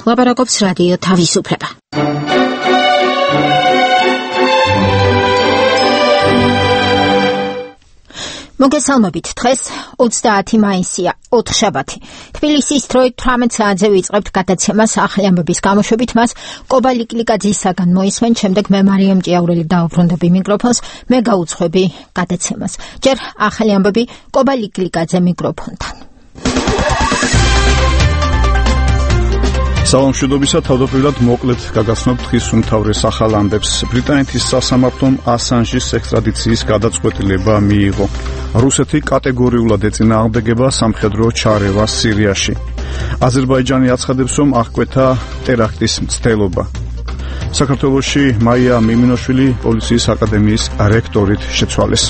ლაპარაკობს რადიო თავისუფლება. მოგესალმებით, დღეს 30 მაისია, ოთხშაბათი. თბილისის დროით 18 საათზე ვიწყებთ გადაცემას ახალი ამბების გამოშვებით, მას კობა ლიკლიკაძისაგან მოისმენ, შემდეგ მე მარიამ ჭიაურელი დაუბრუნდები მიკროფონს, მე გაუძღვები გადაცემას. ჯერ ახალი ამბები კობა ლიკლიკაძე მიკროფონთან. Საომშვიდობისა, თავდაპირველად მოკლედ გაგაცნობთ დღის უმთავრეს ახალ ამბებს. ბრიტანეთის სასამართლომ ასანჟის ექსტრადიციის გადაწყვეტილება მიიღო. რუსეთი კატეგორიულად ეწინააღმდეგება სამხედრო ჩარევას სირიაში. აზერბაიჯანი აცხადებს, რომ აღკვეთა ტერაქტის მცდელობა. საქართველოში მაია მიმინოშვილი პოლიციის აკადემიის რექტორით შეცვალეს.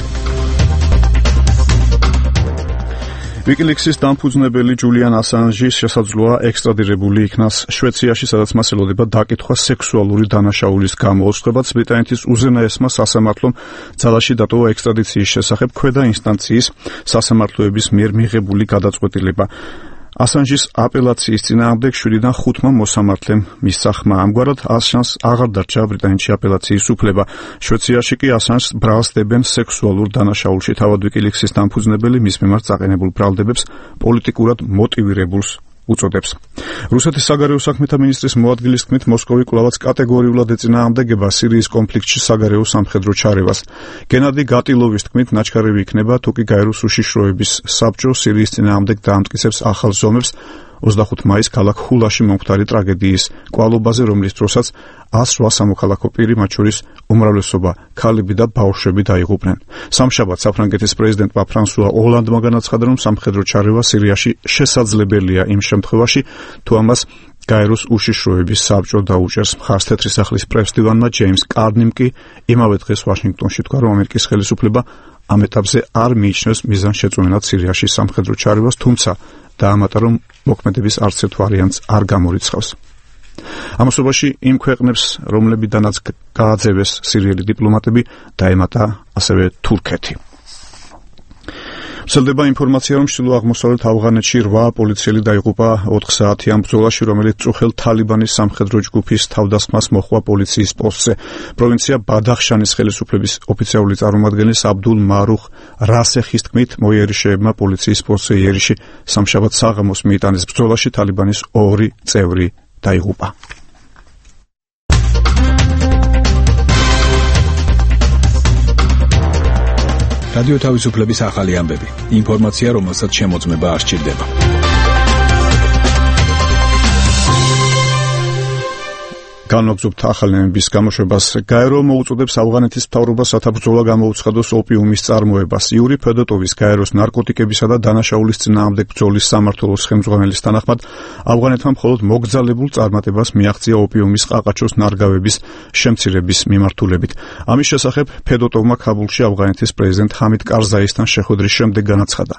ვიკილიქსის დამფუძნებელი ჯულიან ასანჟის შესაძლოა ექსტრადირებული იქნას შვეციაში, სადაც მას ელოდება დაკითხვა სექსუალური დანაშაულის გამოუცხებაც. ბრიტანეთის უზენაესმა სასამართლომ ძალაში დატოვა ექსტრადიციის შესახებ ქვედა ინსტანციის სასამართლოების მიერ მიღებული გადაწყვეტილება. ასანჟის აპელაციის წინააღმდეგ 7-დან 5 მოსამართლემ მისცა ხმა. ამგვარად ასანჟს აღარ დარჩა ბრიტანეთში აპელაციის უფლება. შვეციაში კი ასანჟს ბრალს დებენ სექსუალურ დანაშაულში. თავად ვიკილიქსის დამფუძნებელი მის მიმართ წაყენებულ ბრალდებებს პოლიტიკურად მოტივირებულს უწოდებს. რუსეთის საგარეო საქმეთა მინისტრის მოადგილის თქმით, მოსკოვი კვლავაც კატეგორიულად ეწინააღმდეგება სირიის კონფლიქტში საგარეო სამხედრო ჩარევას. გენადი გატილოვის თქმით, ნაჩქარევი იქნება, თუ კი გაეროს უშიშროების საბჭო სირიის წინააღმდეგ დაამტკიცებს ახალ ზომებს 25 მაისს ქალაქ ხულაში მომხდარი ტრაგედიის კვალობაზე, რომლის დროსაც 108 სამოქალაქო პირი, მათ შორის უმრავლესობა ქალები და ბავშვები დაიღუპნენ. სამშაბათს საფრანგეთის პრეზიდენტმა ფრანსუა ოლანდმა განაცხადა, რომ სამხედრო ჩარევა სირიაში შესაძლებელია იმ შემთხვევაში, თუ ამას გაეროს უშიშროების საბჭო დაუჭერს. მხარს თეთრი სახლის პრესდივანმა ჯეიმს კარნიმ კი იმავე დღეს ვაშინგტონში თქვა, რომ ამერიკის ხელისუფლება ამ ეტაპზე არ მიიჩნევს მიზანშეწონილად სირიაში სამხედრო ჩარევას, თუმცა დაამატა, რომ მოქმედების არც ერთ ვარიანტს არ გამორიცხავს. ამასობაში იმ ქვეყნებს, რომლებიდანაც გააძევეს სირიელი დიპლომატები, დაემატა ასევე თურქეთი. ვრცელდება ინფორმაცია, რომ ჩრდილო-აღმოსავლეთ ავღანეთში 8 პოლიციელი დაიღუპა 4 საათიან ბრძოლაში, რომელიც წუხელ თალიბანის სამხედრო ჯგუფის თავდასხმას მოჰყვა პოლიციის პოსტზე. პროვინცია ბადახშანის ხელისუფლების ოფიციალური წარმომადგენლის აბდულ მარუხ რასეხის თქმით, მოიერიშეებმა პოლიციის პოსტზე იერიში სამშაბათ საღამოს მიიტანეს. ბრძოლაში თალიბანის 2 წევრი დაიღუპა. რადიო თავისუფლების ახალი ამბები. ინფორმაცია, რომელსაც შემოწმება არ სჭირდება. განვაგრძობთ ახალი ამბების გამოშვებას. გაერო მოუწოდებს ავღანეთის მთავრობას სათავბრძოლო გამოუცხადოს ოპიუმის წარმოებას. იური ფედოტოვის გაეროს ნარკოტიკებისა და დანაშაულის წინააღმდეგ ბრძოლის სამმართველოს ხელმძღვანელის თანახმად, ავღანეთმა მხოლოდ მოგზალებულ წარმატებას მიაღწია ოპიუმის ყაყაჩოს ნარგავების შემცირების მიმართულებით. ამის შესახებ ფედოტოვმა ქაბულში ავღანეთის პრეზიდენტ ჰამიდ კარზაისთან შეხვედრის შემდეგ განაცხადა.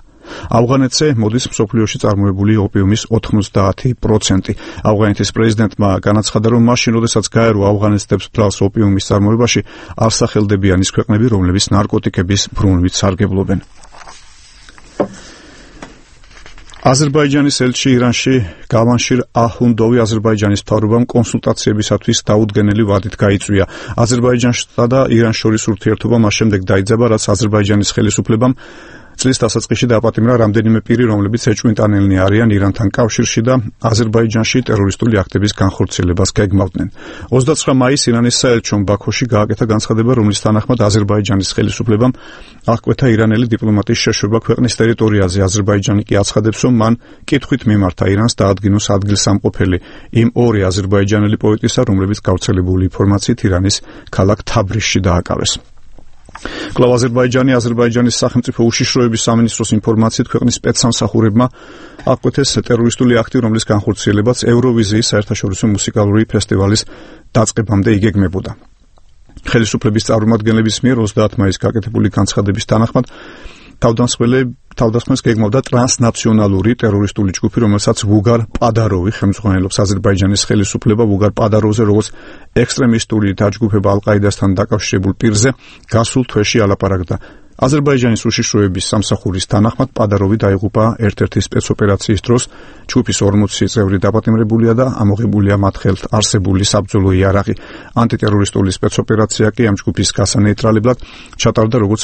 ავღანეთზე მოდის მსოფლიოში წარმოებული ოპიუმის 90%. ავღანეთის პრეზიდენტმა განაცხადა, რომ მაშინ, როდესაც გაერო ავღანეთს დებს ბრალს ოპიუმის წარმოებაში, არ სახელდებიან ის ქვეყნები, რომლებიც ნარკოტიკების ბრუნვით სარგებლობენ. აზერბაიჯანის ელჩი ირანში გავანშირ აჰუნდოვი აზერბაიჯანის მთავრობამ კონსულტაციებისათვის დაუდგენელი ვადით გაიწვია. აზერბაიჯანსა და ირანს შორის ურთიერთობა მას შემდეგ დაიძაბა, რაც აზერბაიჯანის ხელისუფლებამ წლის დასაწყისში დააპატიმრა რამდენიმე პირი, რომლებიც ეჭვმიტანილნი არიან ირანთან კავშირში და აზერბაიჯანში ტერორისტული აქტების განხორციელებას გეგმავდნენ. 29 მაისს ირანის საელჩომ ბაქოში გააკეთა განცხადება, რომლის თანახმად აზერბაიჯანის ხელისუფლებამ აღკვეთა ირანელი დიპლომატის შეშვება ქვეყნის ტერიტორიაზე. აზერბაიჯანი კი აცხადებს, რომ მან კითხვით მიმართა ირანს დაადგინოს ადგილსამყოფელი იმ 2 აზერბაიჯანელი პოლიტიკოსა, რომლებიც გავრცელებული ინფორმაციით ირანის ქალაქ თაბრიზში დააკავეს. კვლავ აზერბაიჯანის სახელმწიფო უშიშროების სამინისტროს ინფორმაციით, ქვეყნის სპეცსამსახურებმა აღკვეთეს ტერორისტული აქტი, რომლის განხორციელებაც ევროვიზიის საერთაშორისო მუსიკალური ფესტივალის დაწყებამდე იგეგმებოდა. ხელისუფლების წარმომადგენლების მიერ 30 მაისს გაკეთებული განცხადების თანახმად თავდასხმას გეგმავდა ტრანსნაციონალური ტერორისტული ჯგუფი, რომელსაც ვუგარ პადაროვი ხელმძღვანელობს. აზერბაიჯანის ხელისუფლება ვუგარ პადაროვზე, როგორც ექსტრემისტული დაჯგუფება ალ-ყაიდასთან დაკავშირებულ პირზე, გასულ თვეში ალაპარაკდა. აზერბაიჯანის უშიშროების სამსახურის თანახმად პადაროვი დაიღუპა ერთ-ერთი სპეცოპერაციის დროს. ჯგუფის 40 წევრი დაპატიმრებულია და ამოღებულია მათ ხელთ არსებული საბრძოლო იარაღი. ანტიტერორისტული სპეცოპერაცია კი ამ ჯგუფის გასანეიტრალებლად ჩატარდა როგორც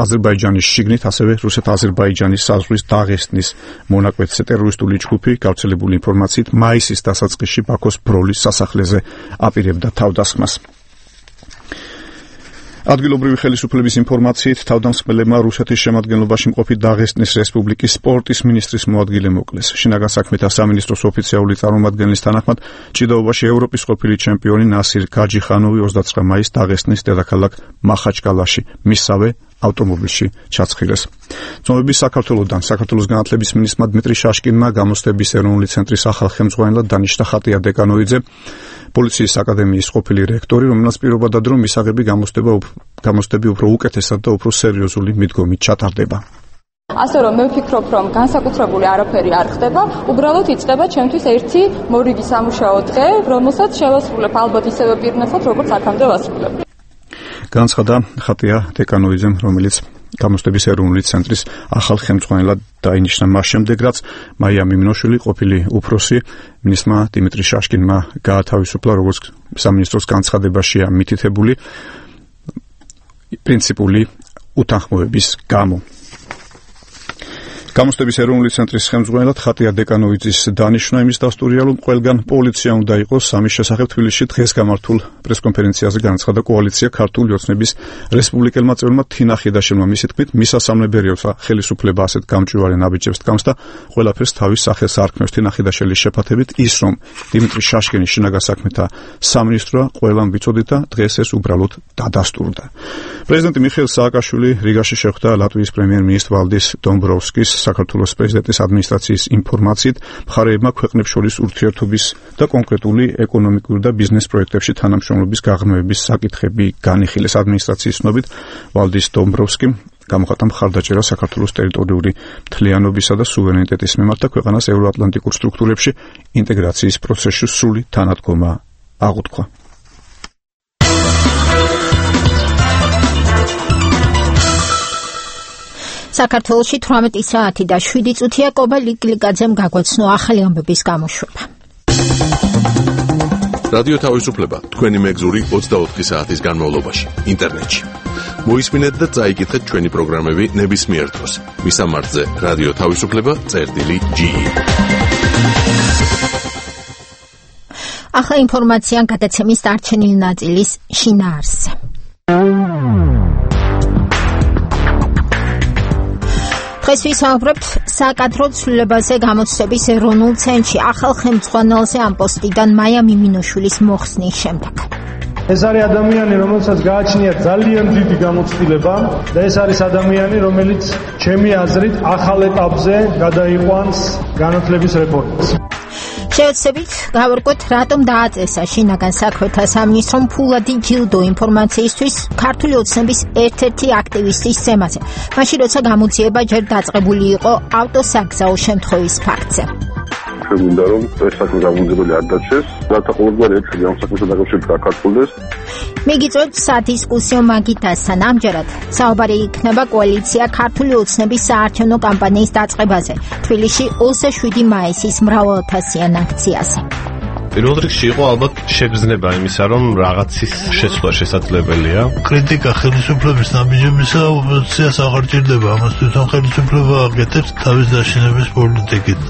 აზერბაიჯანის შიგნით, ასევე რუსეთ-აზერბაიჯანის საზღვრის დაღესტნის მონაკვეთზე. ტერორისტული ჯგუფი გავრცელებული ინფორმაციით მაისის დასაწყისში ბაქოს ბროლის სასახლეზე აპირებდა თავდასხმას. ადგილობრივი ხელისუფლების ინფორმაციით თავდამსხმელებმა რუსეთის შემადგენლობაში მყოფი დაღესტნის რესპუბლიკის სპორტის მინისტრის მოადგილე მოკლეს. შინაგან საქმეთა სამინისტროს ოფიციალური წარმომადგენლის თანახმად ჭიდაობაში ევროპის ყოფილი ჩემპიონი ნასირ გაჯიხანოვი 29 მაისს დაღესტნის დედაქალაქ მახაჩკალაში მისსავე ავტომობილში ჩაცხირეს. ცნობები საქართველოს განათლების მინისტრმა დმიტრი შაშკინმა გამოცდების ეროვნული ცენტრის ახალ ხელმძღვანელად დანიშნა ხატია დეკანოიძე, პოლიციის აკადემიის ყოფილი რექტორი, რომელსაც პირობა დადო, რომ მისაღები გამოცდები უფრო უკეთესად და უფრო სერიოზული მიდგომით ჩატარდება. ასე რომ მე ვფიქრობ, რომ განსაკუთრებული არაფერი არ ხდება, უბრალოდ იწყება ჩემთვის ერთი მორიგი სამუშაო დღე, რომელსაც შევასრულებ ალბათ ისევე პირნათლად, როგორც აქამდე ვასრულებ. განცხადა ხატია დეკანოიძემ, რომელიც გამოცდების ეროვნული ცენტრის ახალ ხელმძღვანელად დაინიშნა მას შემდეგ, რაც მაია მიმინოშვილი ყოფილი უფროსი მინისტრმა დიმიტრი შაშკინმა გაათავისუფლა, როგორც სამინისტროს განცხადებაშია მითითებული პრინციპული უთანხმოების გამო. გამოცდების ეროვნული ცენტრის ხელმძღვანელად ხატია დეკანოიძის დანიშვნა იმის დასტურია, რომ ყველგან პოლიცია უნდა იყოს. ამის შესახებ თბილისში დღეს გამართულ პრესკონფერენციაზე განაცხადა კოალიცია ქართული ოცნების რესპუბლიკელმა წევრმა თინა ხიდაშელმა. მისი თქმით, მისასალმებელია ხელისუფლება ასეთ გამჭვირვალე ნაბიჯებს დგამს და ყველაფერს თავის სახელს არქმევს. თინა ხიდაშელის შეფათებით ის, რომ დიმიტრი შაშკინის შინაგან საქმეთა სამინისტროა ყველამ ვიცოდით და დღეს ეს უბრალოდ დადასტურდა. პრეზიდენტი მიხეილ სააკაშვილი რიგაში შეხვდა ლატვიის პრემიერ-მინისტრ ვალდის დომბროვსკის. საქართველოს პრეზიდენტის ადმინისტრაციის ინფორმაციით, მხარეებმა ქვეყნებს შორის ურთიერთობის და კონკრეტული ეკონომიკური და ბიზნეს პროექტებში თანამშრომლობის გაღრმავების საკითხები განიხილეს. ადმინისტრაციის ცნობით, ვალდის დომბროვსკიმ გამოხატა მხარდაჭერა საქართველოს ტერიტორიული მთლიანობისა და სუვერენიტეტის მიმართ და ქვეყანას ევროატლანტიკურ სტრუქტურებში ინტეგრაციის პროცესში სრული თანადგომა აღუთქვა. საქართველოში 18 საათი და 7 წუთია კობა ლიკლიკაძემ გაგვაცნო ახალი ამბების გამოშვება. რადიო თავისუფლება თქვენი მეგზური 24 საათის განმავლობაში ინტერნეტში. მოისმინეთ და წაიკითხეთ ჩვენი პროგრამები ნებისმიერ დროს. მისამართზე რადიო თავისუფლება.ge. ახლა ინფორმაცია გადაცემის დარჩენილი ნაწილის შინაარსზე. დღეს ვისაუბრებთ საკადრო ცვლილებაზე გამოცდების ეროვნულ ცენტრში ახალ ხელმძღვანელზე ამ პოსტიდან მაია მიმინოშვილის მოხსნის შემდეგ. ეს არის ადამიანი, რომელსაც გააჩნია ძალიან დიდი გამოცდილება და ეს არის ადამიანი, რომელიც ჩემი აზრით ახალ ეტაპზე გადაიყვანს განათლების რეფორმას. შევეცდებით გავარკვევთ, რატომ დააწესა შინაგან საქმეთა სამინისტრომ ფულადი ჯილდო ინფორმაციისთვის ქართული ოცნების ერთ-ერთი აქტივისტის ზემაზე, მაშინ როცა გამოძიება ჯერ დაწყებული იყო ავტოსაგზაო შემთხვევის ფაქტზე. მინდა რომ ეს საქმე გამოძიებული არ დარჩეს, რათა ყოველგვარი ეჭვი ამ საქმესთან დაკავშირებით გაქართულდეს. მიგიწევთ სადისკუსიო მაგიდასთან. ამჯერად საუბარი იქნება კოალიცია ქართული ოცნების საარჩევნო კამპანიის დაწყებაზე თბილისში 27 მაისის მრავალათასიან აქციაზე. პირველ რიგში იყო ალბათ შეგრძნება იმისა, რომ რაღაცის შეცვლა შესაძლებელია. კრიტიკა ხელისუფლების ნაბიჯებისა ოპოზიციას აღარ ჭირდება, ამას თვითონ ხელისუფლება აკეთებს თავის დაშინების პოლიტიკით.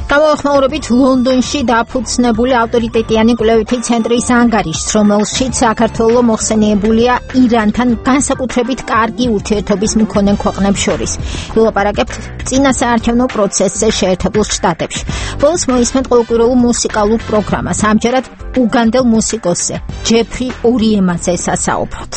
გამოხმაურებით ლონდონში დაფუძნებული ავტორიტეტიანი კვლევითი ცენტრის ანგარიშს, რომელშიც საქართველო მოხსენიებულია ირანთან განსაკუთრებით კარგი ურთიერთობის მქონე ქვეყნებს შორის. ვილაპარაკებთ წინა საარჩევნო პროცესზე შეერთებულ შტატებში. ბოლოს მოისმენთ ყოველკვირეულ მუსიკალურ პროგრამას. ამჯერად უგანდელ მუსიკოსზე ჯეფრი ორიემაძე სასაუბროთ.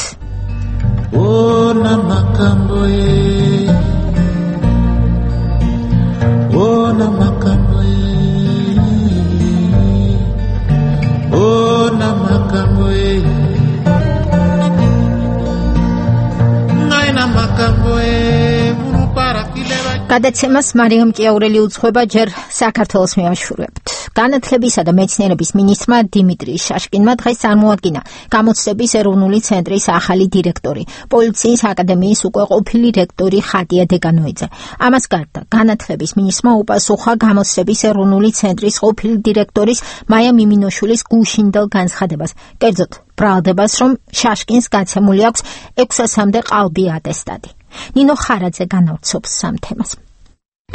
გადაცემას მარიამ კიაურელი უძღვება ჯერ საქართველოს მევაშურებთ. განათლებისა და მეცნიერების მინისტრმა დიმიტრი შაშკინმა დღეს წარმოადგინა გამოცდების ეროვნული ცენტრის ახალი დირექტორი, პოლიციის აკადემიის უკვე ყოფილი რექტორი ხატია დეგანოიძე. ამას გარდა განათლების მინისტრმა უპასუხა გამოცდების ეროვნული ცენტრის ყოფილი დირექტორის მაია მიმინოშვილის გუშინდელ განცხადებას, კერძოდ ბრალდებას, რომ შაშკინს გაცემული აქვს 600-მდე ყალბი ატესტატი. ნინო ხარაძე განავრცობს სამ თემას.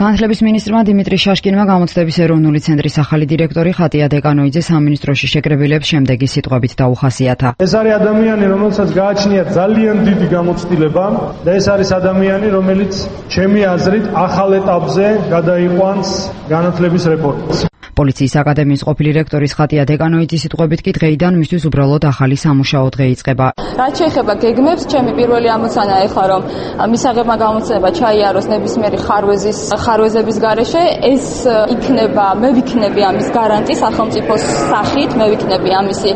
განათლების მინისტრმა დიმიტრი შაშკინმა გამოცდების ეროვნული ცენტრის ახალი დირექტორი ხატია დეგანოიძე სამინისტროში შეკრებილებს შემდეგი სიტყვებით დაუხასიათა. ეს არის ადამიანი, რომელსაც გააჩნია ძალიან დიდი გამოცდილება და ეს არის ადამიანი, რომელიც ჩემი აზრით ახალ ეტაპზე გადაიყვანს განათლების რეფორმას. პოლიციის აკადემიის ყოფილი რექტორის ხატია დეგანოიძის სიტყვებით კი დღეიდან მისთვის უბრალოდ ახალი სამუშაო დღე იწყება. რაც შეეხება გეგმებს, ჩემი პირველი ამოცანა ეხლა რომ მისაღებმა გამოცდილება ჩაიაროს ნებისმიერი ხარვეზების გარეშე, ეს იქნება, მე ვიქნები ამის გარანტი სახელმწიფოს სახით, მე ვიქნები ამისი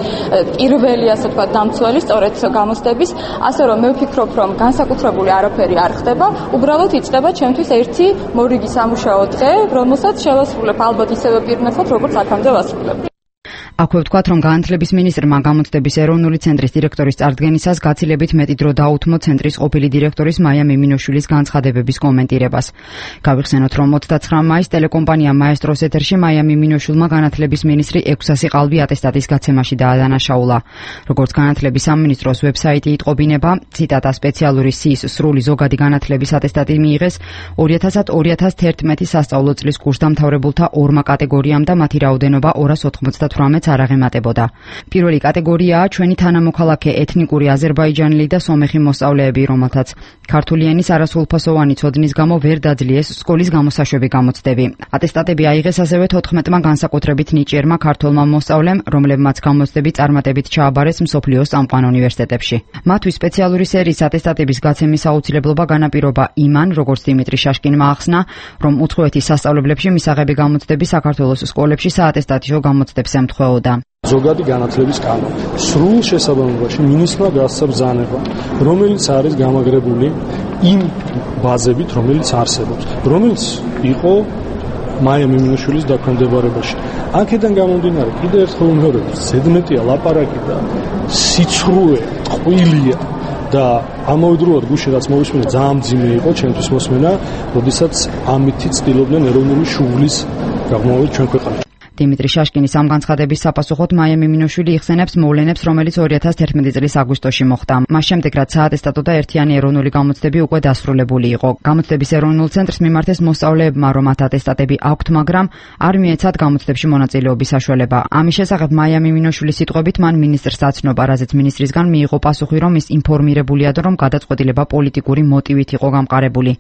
პირველი, ასე ვთქვათ, დამცველი სწორედ გამოცდების, ასე რომ მე ვფიქრობ, რომ განსაკუთრებული არაფერი არ ხდება, უბრალოდ იწყება ჩემთვის ერთი მორიგი სამუშაო დღე, რომელსაც შევასრულებ ალბათ ისევე პირნათლად, როგორც აქამდე ვასრულებ. აქვე ვთქვათ, რომ განათლების მინისტრმა გამოცდების ეროვნული ცენტრის დირექტორის წარდგენისას გაცილებით მეტი დრო დაუთმო ცენტრის ყოფილი დირექტორის მაია მიმინოშვილის განცხადებების კომენტირებას. გავიხსენოთ, რომ 29 მაისს ტელეკომპანია მაესტროს ეთერში მაია მიმინოშვილმა განათლების მინისტრი 600 ყალბი ატესტატის გაცემაში დაადანაშაულა. როგორც განათლების სამინისტროს ვებსაიტი იტყობინება, ციტატა სპეციალური სიის სრული ზოგადი განათლების ატესტატი მიიღეს 2000-2011 სასწავლო წლის კურსდამთავრებულთა ორმა კატეგორიამ და მათი რაოდენობა 298 არ აღემატებოდა. პირველი კატეგორიაა ჩვენი თანამოქალაქე ეთნიკური აზერბაიჯანელი და სომეხი მოსწავლეები, რომელთაც ქართული ენის არასრულფასოვანი ცოდნის გამო ვერ დაძლიეს სკოლის გამოსაშვები გამოცდები. ატესტატები აიღეს ასევე 14-მა განსაკუთრებით ნიჭიერმა ქართველმა მოსწავლემ, რომლებმაც გამოცდები წარმატებით ჩააბარეს მსოფლიოს წამყვან უნივერსიტეტებში. მათთვის სპეციალური სერიის ატესტატების გაცემის აუცილებლობა განაპირობა იმან, როგორც დიმიტრი შაშკინმა ახსნა, რომ უცხოეთის სასწავლებლებში მისაღები გამოცდები საქართველოს სკოლებში საატესტატიო გამოცდებს ემთხვეოდა. ზოგადი განათლების კანონი. სრულ შესაბამებაში მინისტრმა გასცა ბრძანება, რომელიც არის გამაგრებული იმ ბაზებით, რომელიც არსებობს, რომელიც იყო მაია მიმინოშვილის დაქვემდებარებაში. აქედან გამომდინარე, კიდევ ერთხელ ვიმეორებ, ზედმეტია ლაპარაკი და სიცრუე, ტყუილია და ამავდროულად გუშინ რაც მოვისმინე, ძალიან მძიმე იყო ჩემთვის მოსმენა, როდესაც ამითი ცდილობდნენ ეროვნული შუღლის გაღმოვით ჩვენ ქვეყანაში. დიმიტრი შაშკინის ამ განცხადების საპასუხოდ მაია მიმინოშვილი იხსენებს მოვლენებს, რომელიც 2011 წლის აგვისტოში მოხდა. მას შემდეგ, რაც საატესტატო და ერთიანი ეროვნული გამოცდები უკვე დასრულებული იყო. გამოცდების ეროვნულ ცენტრს მიმართეს მოსწავლეებმა, რომ მათ ატესტატები აქვთ, მაგრამ არ მიეცათ გამოცდებში მონაწილეობის საშუალება. ამის შესახებ მაია მიმინოშვილის სიტყვებით მან მინისტრს აცნობა, რაზეც მინისტრისგან მიიღო პასუხი, რომ ის ინფორმირებულია და რომ გადაწყვეტილება პოლიტიკური მოტივით იყო გამყარებული.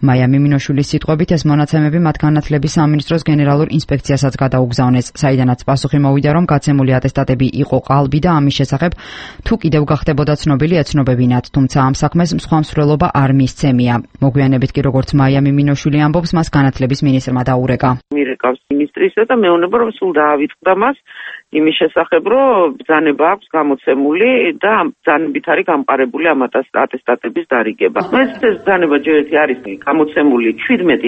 მაია მიმინოშვილის სიტყვებით ეს მონაცემები მათ განათლების სამინისტროს გენერალურ ინსპექციასაც გადაუგზავნეს. საიდანაც პასუხი მოვიდა, რომ გაცემული ატესტატები იყო ყალბი და ამის შესახებ თუ კიდევ გახდებოდა ცნობილი ეცნობებინათ, თუმცა ამ საქმეს სხვა მსვლელობა არ მისცემია. მოგვიანებით კი როგორც მაია მიმინოშვილი ამბობს, მას განათლების მინისტრმა დაურეკა. მირეკავს მინისტრისა და მეუბნება, რომ სულ დაავიწყდა მას იმის შესახებ, რომ ბრძანება აქვს გამოცემული და ამ ბრძანებით არის გამყარებული ამ ატესტატების დარიგება. ეს ბრძანება ჯერ ერთი არის გამოცემული 17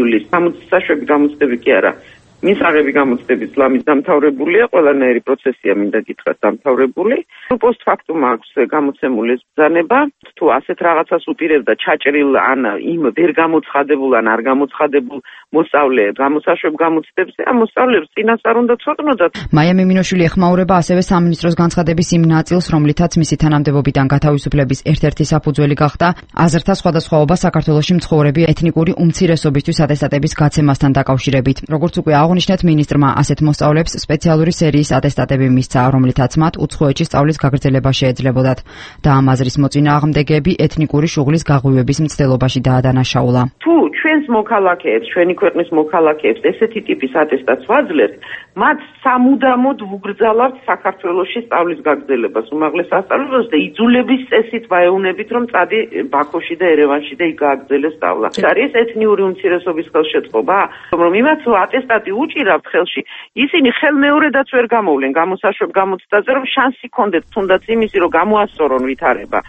ივლისს, საშვები გამოცდები კი არა. მისაღები გამოცდების ლამის დამთავრებულია, ყველანაირი პროცესია მინდა გითხრათ დამთავრებული. პოსტფაქტუმ აქვს გამოცემული ბრძანება, თუ ასეთ რაღაცას უპირებდა ჩაჭრილ ან იმ ვერ გამოცხადებულ ან არ გამოცხადებულ მოსწავლეებს გამოსაშვებ გამოცდებზე, ამ მოსწავლეებს წინასწარ უნდა ცოდნოდათ. მაია მიმინოშვილი ეხმაურება ასევე სამინისტროს განცხადების იმ ნაწილს, რომლითაც მისი თანამდებობიდან გათავისუფლების ერთ-ერთი საფუძველი გახდა აზრთა სხვადასხვაობა საქართველოში მცხოვრები ეთნიკური უმცირესობისთვის ატესტატების გაცემასთან დაკავშირებით. როგორც უკვე აღნიშნეთ, მინისტრმა ასეთ მოსწავლეებს სპეციალური სერიის ატესტატები მისცა, რომლითაც მათ უცხოეთში სწავლის გაგრძელება შეეძლებოდათ და ამ აზრის მოწინააღმდეგეები ეთნიკური შუღლის გაღვივების მცდელობაში დაადანაშაულა. თუ ჩვენს მოქალაქეებს, ჩვენი ქვეყნის მოქალაქეებს ესეთი ტიპის ატესტატს ვაძლევთ, მათ სამუდამოდ ვუგრძალებთ საქართველოში სწავლის გაგრძელებას უმაღლეს სასწავლებელს და იძულების წესით ვაეუნებით, რომ წადი ბაქოში და ერევანში და იქ გააგრძელე სწავლა. არის ეთნიური უმცირესობის ხელშეწყობა, რომ იმათ ატესტატი უჭირავთ ხელში, ისინი ხელმეორედაც ვერ გამოვლენ გამოსაშვებ გამოცდაზე, რომ შანსი კონდეთ თუნდაც იმისი, რომ გამოასწორონ ვითარება.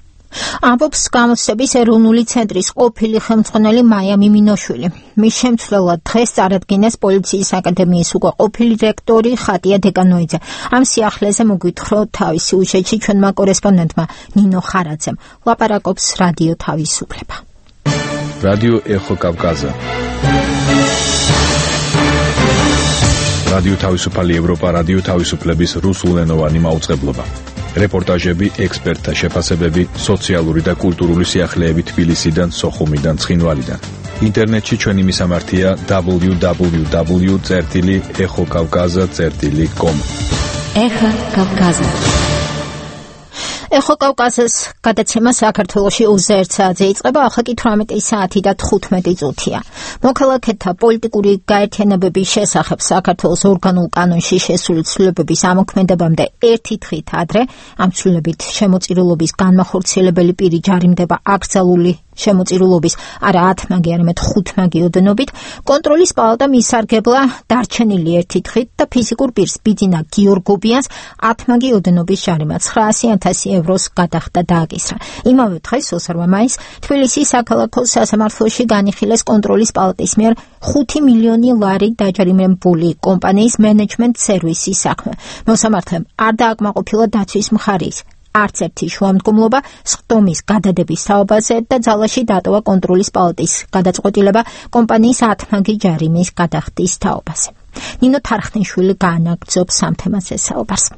ამბობს გამოცდების ეროვნული ცენტრის ყოფილი ხელმძღვანელი მაია მიმინოშვილი. მის შემცვლელად დღეს წარადგინეს პოლიციის აკადემიის უკვე ყოფილი რექტორი ხატია დეკანოიძე. ამ სიახლეზე მოგვითხრა თავისი უშეჩი ჩვენმა კორესპონდენტმა ნინო ხარაძემ. ლაპარაკობს რადიო თავისუფლება. რადიო ეხო კავკაზა. რადიო თავისუფალი ევროპა, რადიო თავისუფლების რუსულენოვანი მაუწყებლობა. რეპორტაჟები, ექსპერტთა შეფასებები, სოციალური და კულტურული სიახლეები თბილისიდან, სოხუმიდან, ცხინვალიდან. ინტერნეტში ჩვენი მისამართია www.exokavkaza.com. ეხა კავკაზა. ეხო კავკაზას გადაცემა საქართველოში 21 საათზე იწყება, ახლა კი 18 საათი და 15 წუთია. მოქალაქეთა პოლიტიკური გაერთიანებების შესახებ საქართველოს ორგანულ კანონში შესული ცვლილებების ამოქმედებამდე ერთი დღით ადრე ამ ცვლილებით შემოწირულობის განმახორციელებელი პირი ჯარიმდება აკრძალული შემოწირულობის არა 10 მაგი, არამედ 5 მაგი ოდენობით. კონტროლის პალატამ ისარგებლა დარჩენილი ერთი დღით და ფიზიკურ პირს ბიძინა გიორგობიანს 10 მაგი ოდენობის ჯარიმა 900,000 ევროს გადახდა დააკისრა. იმავე დღეს 28 მაისს თბილისის საქალაქო სასამართლოში განიხილეს კონტროლის პალატის მიერ 5 მილიონი ლარი დაჯარიმებული კომპანიის მენეჯმენტ სერვისის საქმე. მოსამართლემ არ დააკმაყოფილა დაცვის მხარის არც ერთი შუამდგომლობა სხდომის გადადების თაობაზე და ძალაში დატოვა კონტროლის პალატის გადაწყვეტილება კომპანიის 10 მაგი ჯარიმის გადახდის თაობაზე. ნინო თარხნიშვილი გაანაგრძობს ამ თემაზე საუბარს.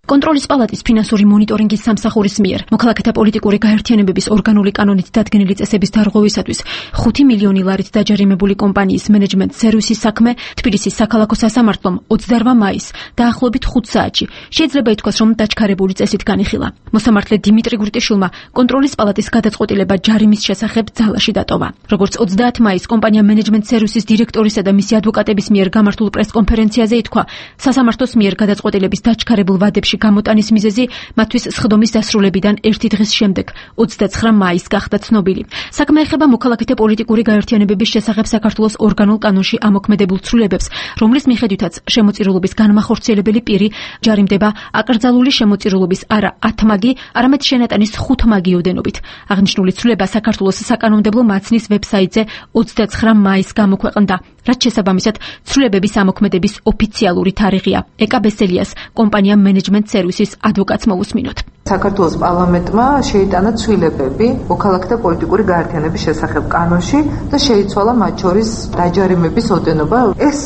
კონტროლის პალატის ფინანსური მონიტორინგის სამსახურის მიერ მოქალაქეთა პოლიტიკური გაერთიანებების ორგანული კანონით დადგენილი წესების დარღვევისათვის 5 მილიონი ლარით დაჯარიმებული კომპანიის მენეჯმენტ სერვისის საქმე თბილისის საქალაქო სასამართლომ 28 მაისს დაახლოებით 5 საათში შეიძლება ითქვას, რომ დაჩქარებული წესით განიხილა. მოსამართლე დიმიტრი გურტიშვილმა კონტროლის პალატის გადაწყვეტილება ჯარიმის შესახებ ძალაში დატოვა. როგორც 30 მაისს კომპანია მენეჯმენტ სერვისის დირექტორისა და მისი ადვოკატების მიერ გამართულ პრესკონფერენციაზე ითქვა, სასამართლოს მიერ გადაწყვეტილების დაჩქარებულ ვადებში გამოტანის მიზეზი მათთვის სხდომის დასრულებიდან ერთი დღის შემდეგ 29 მაისს გახდა ცნობილი. საქმე ეხება მოქალაქეთა პოლიტიკური გაერთიანებების შესახებ საქართველოს ორგანულ კანონში ამოქმედებულ ცვლილებებს, რომლის მიხედვითაც შემოწირულობის განმახორციელებელი პირი ჯარიმდება აკრძალული შემოწირულობის არა 10 მაგი, არამედ შენატანის 5 მაგი ოდენობით. აღნიშნული ცვლილება საქართველოს საკანონმდებლო მაცნის ვებსაიტზე 29 მაისს გამოქვეყნდა, რაც შესაბამისად ცვლილებების ამოქმედების ოფიციალური თარიღია. ეკა ბესელიას კომპანია მენეჯმენტ სერვისის ადვოკატს მოусმინოთ. საქართველოს პარლამენტმა შეიტანა ცვლილებები მოქალაქეთა პოლიტიკური გაერთიანების შესახებ კანონში და შეიცვალა მათ შორის დაჯარიმების ოდენობა. ეს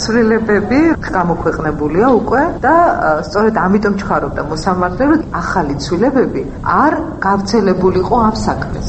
ცვლილებები გამოქვეყნებულია უკვე და სწორედ ამიტომ ჩქარობდა მოსამართლე, რომ ახალი ცვლილებები არ გავრცელებულიყო ამ საქმეს.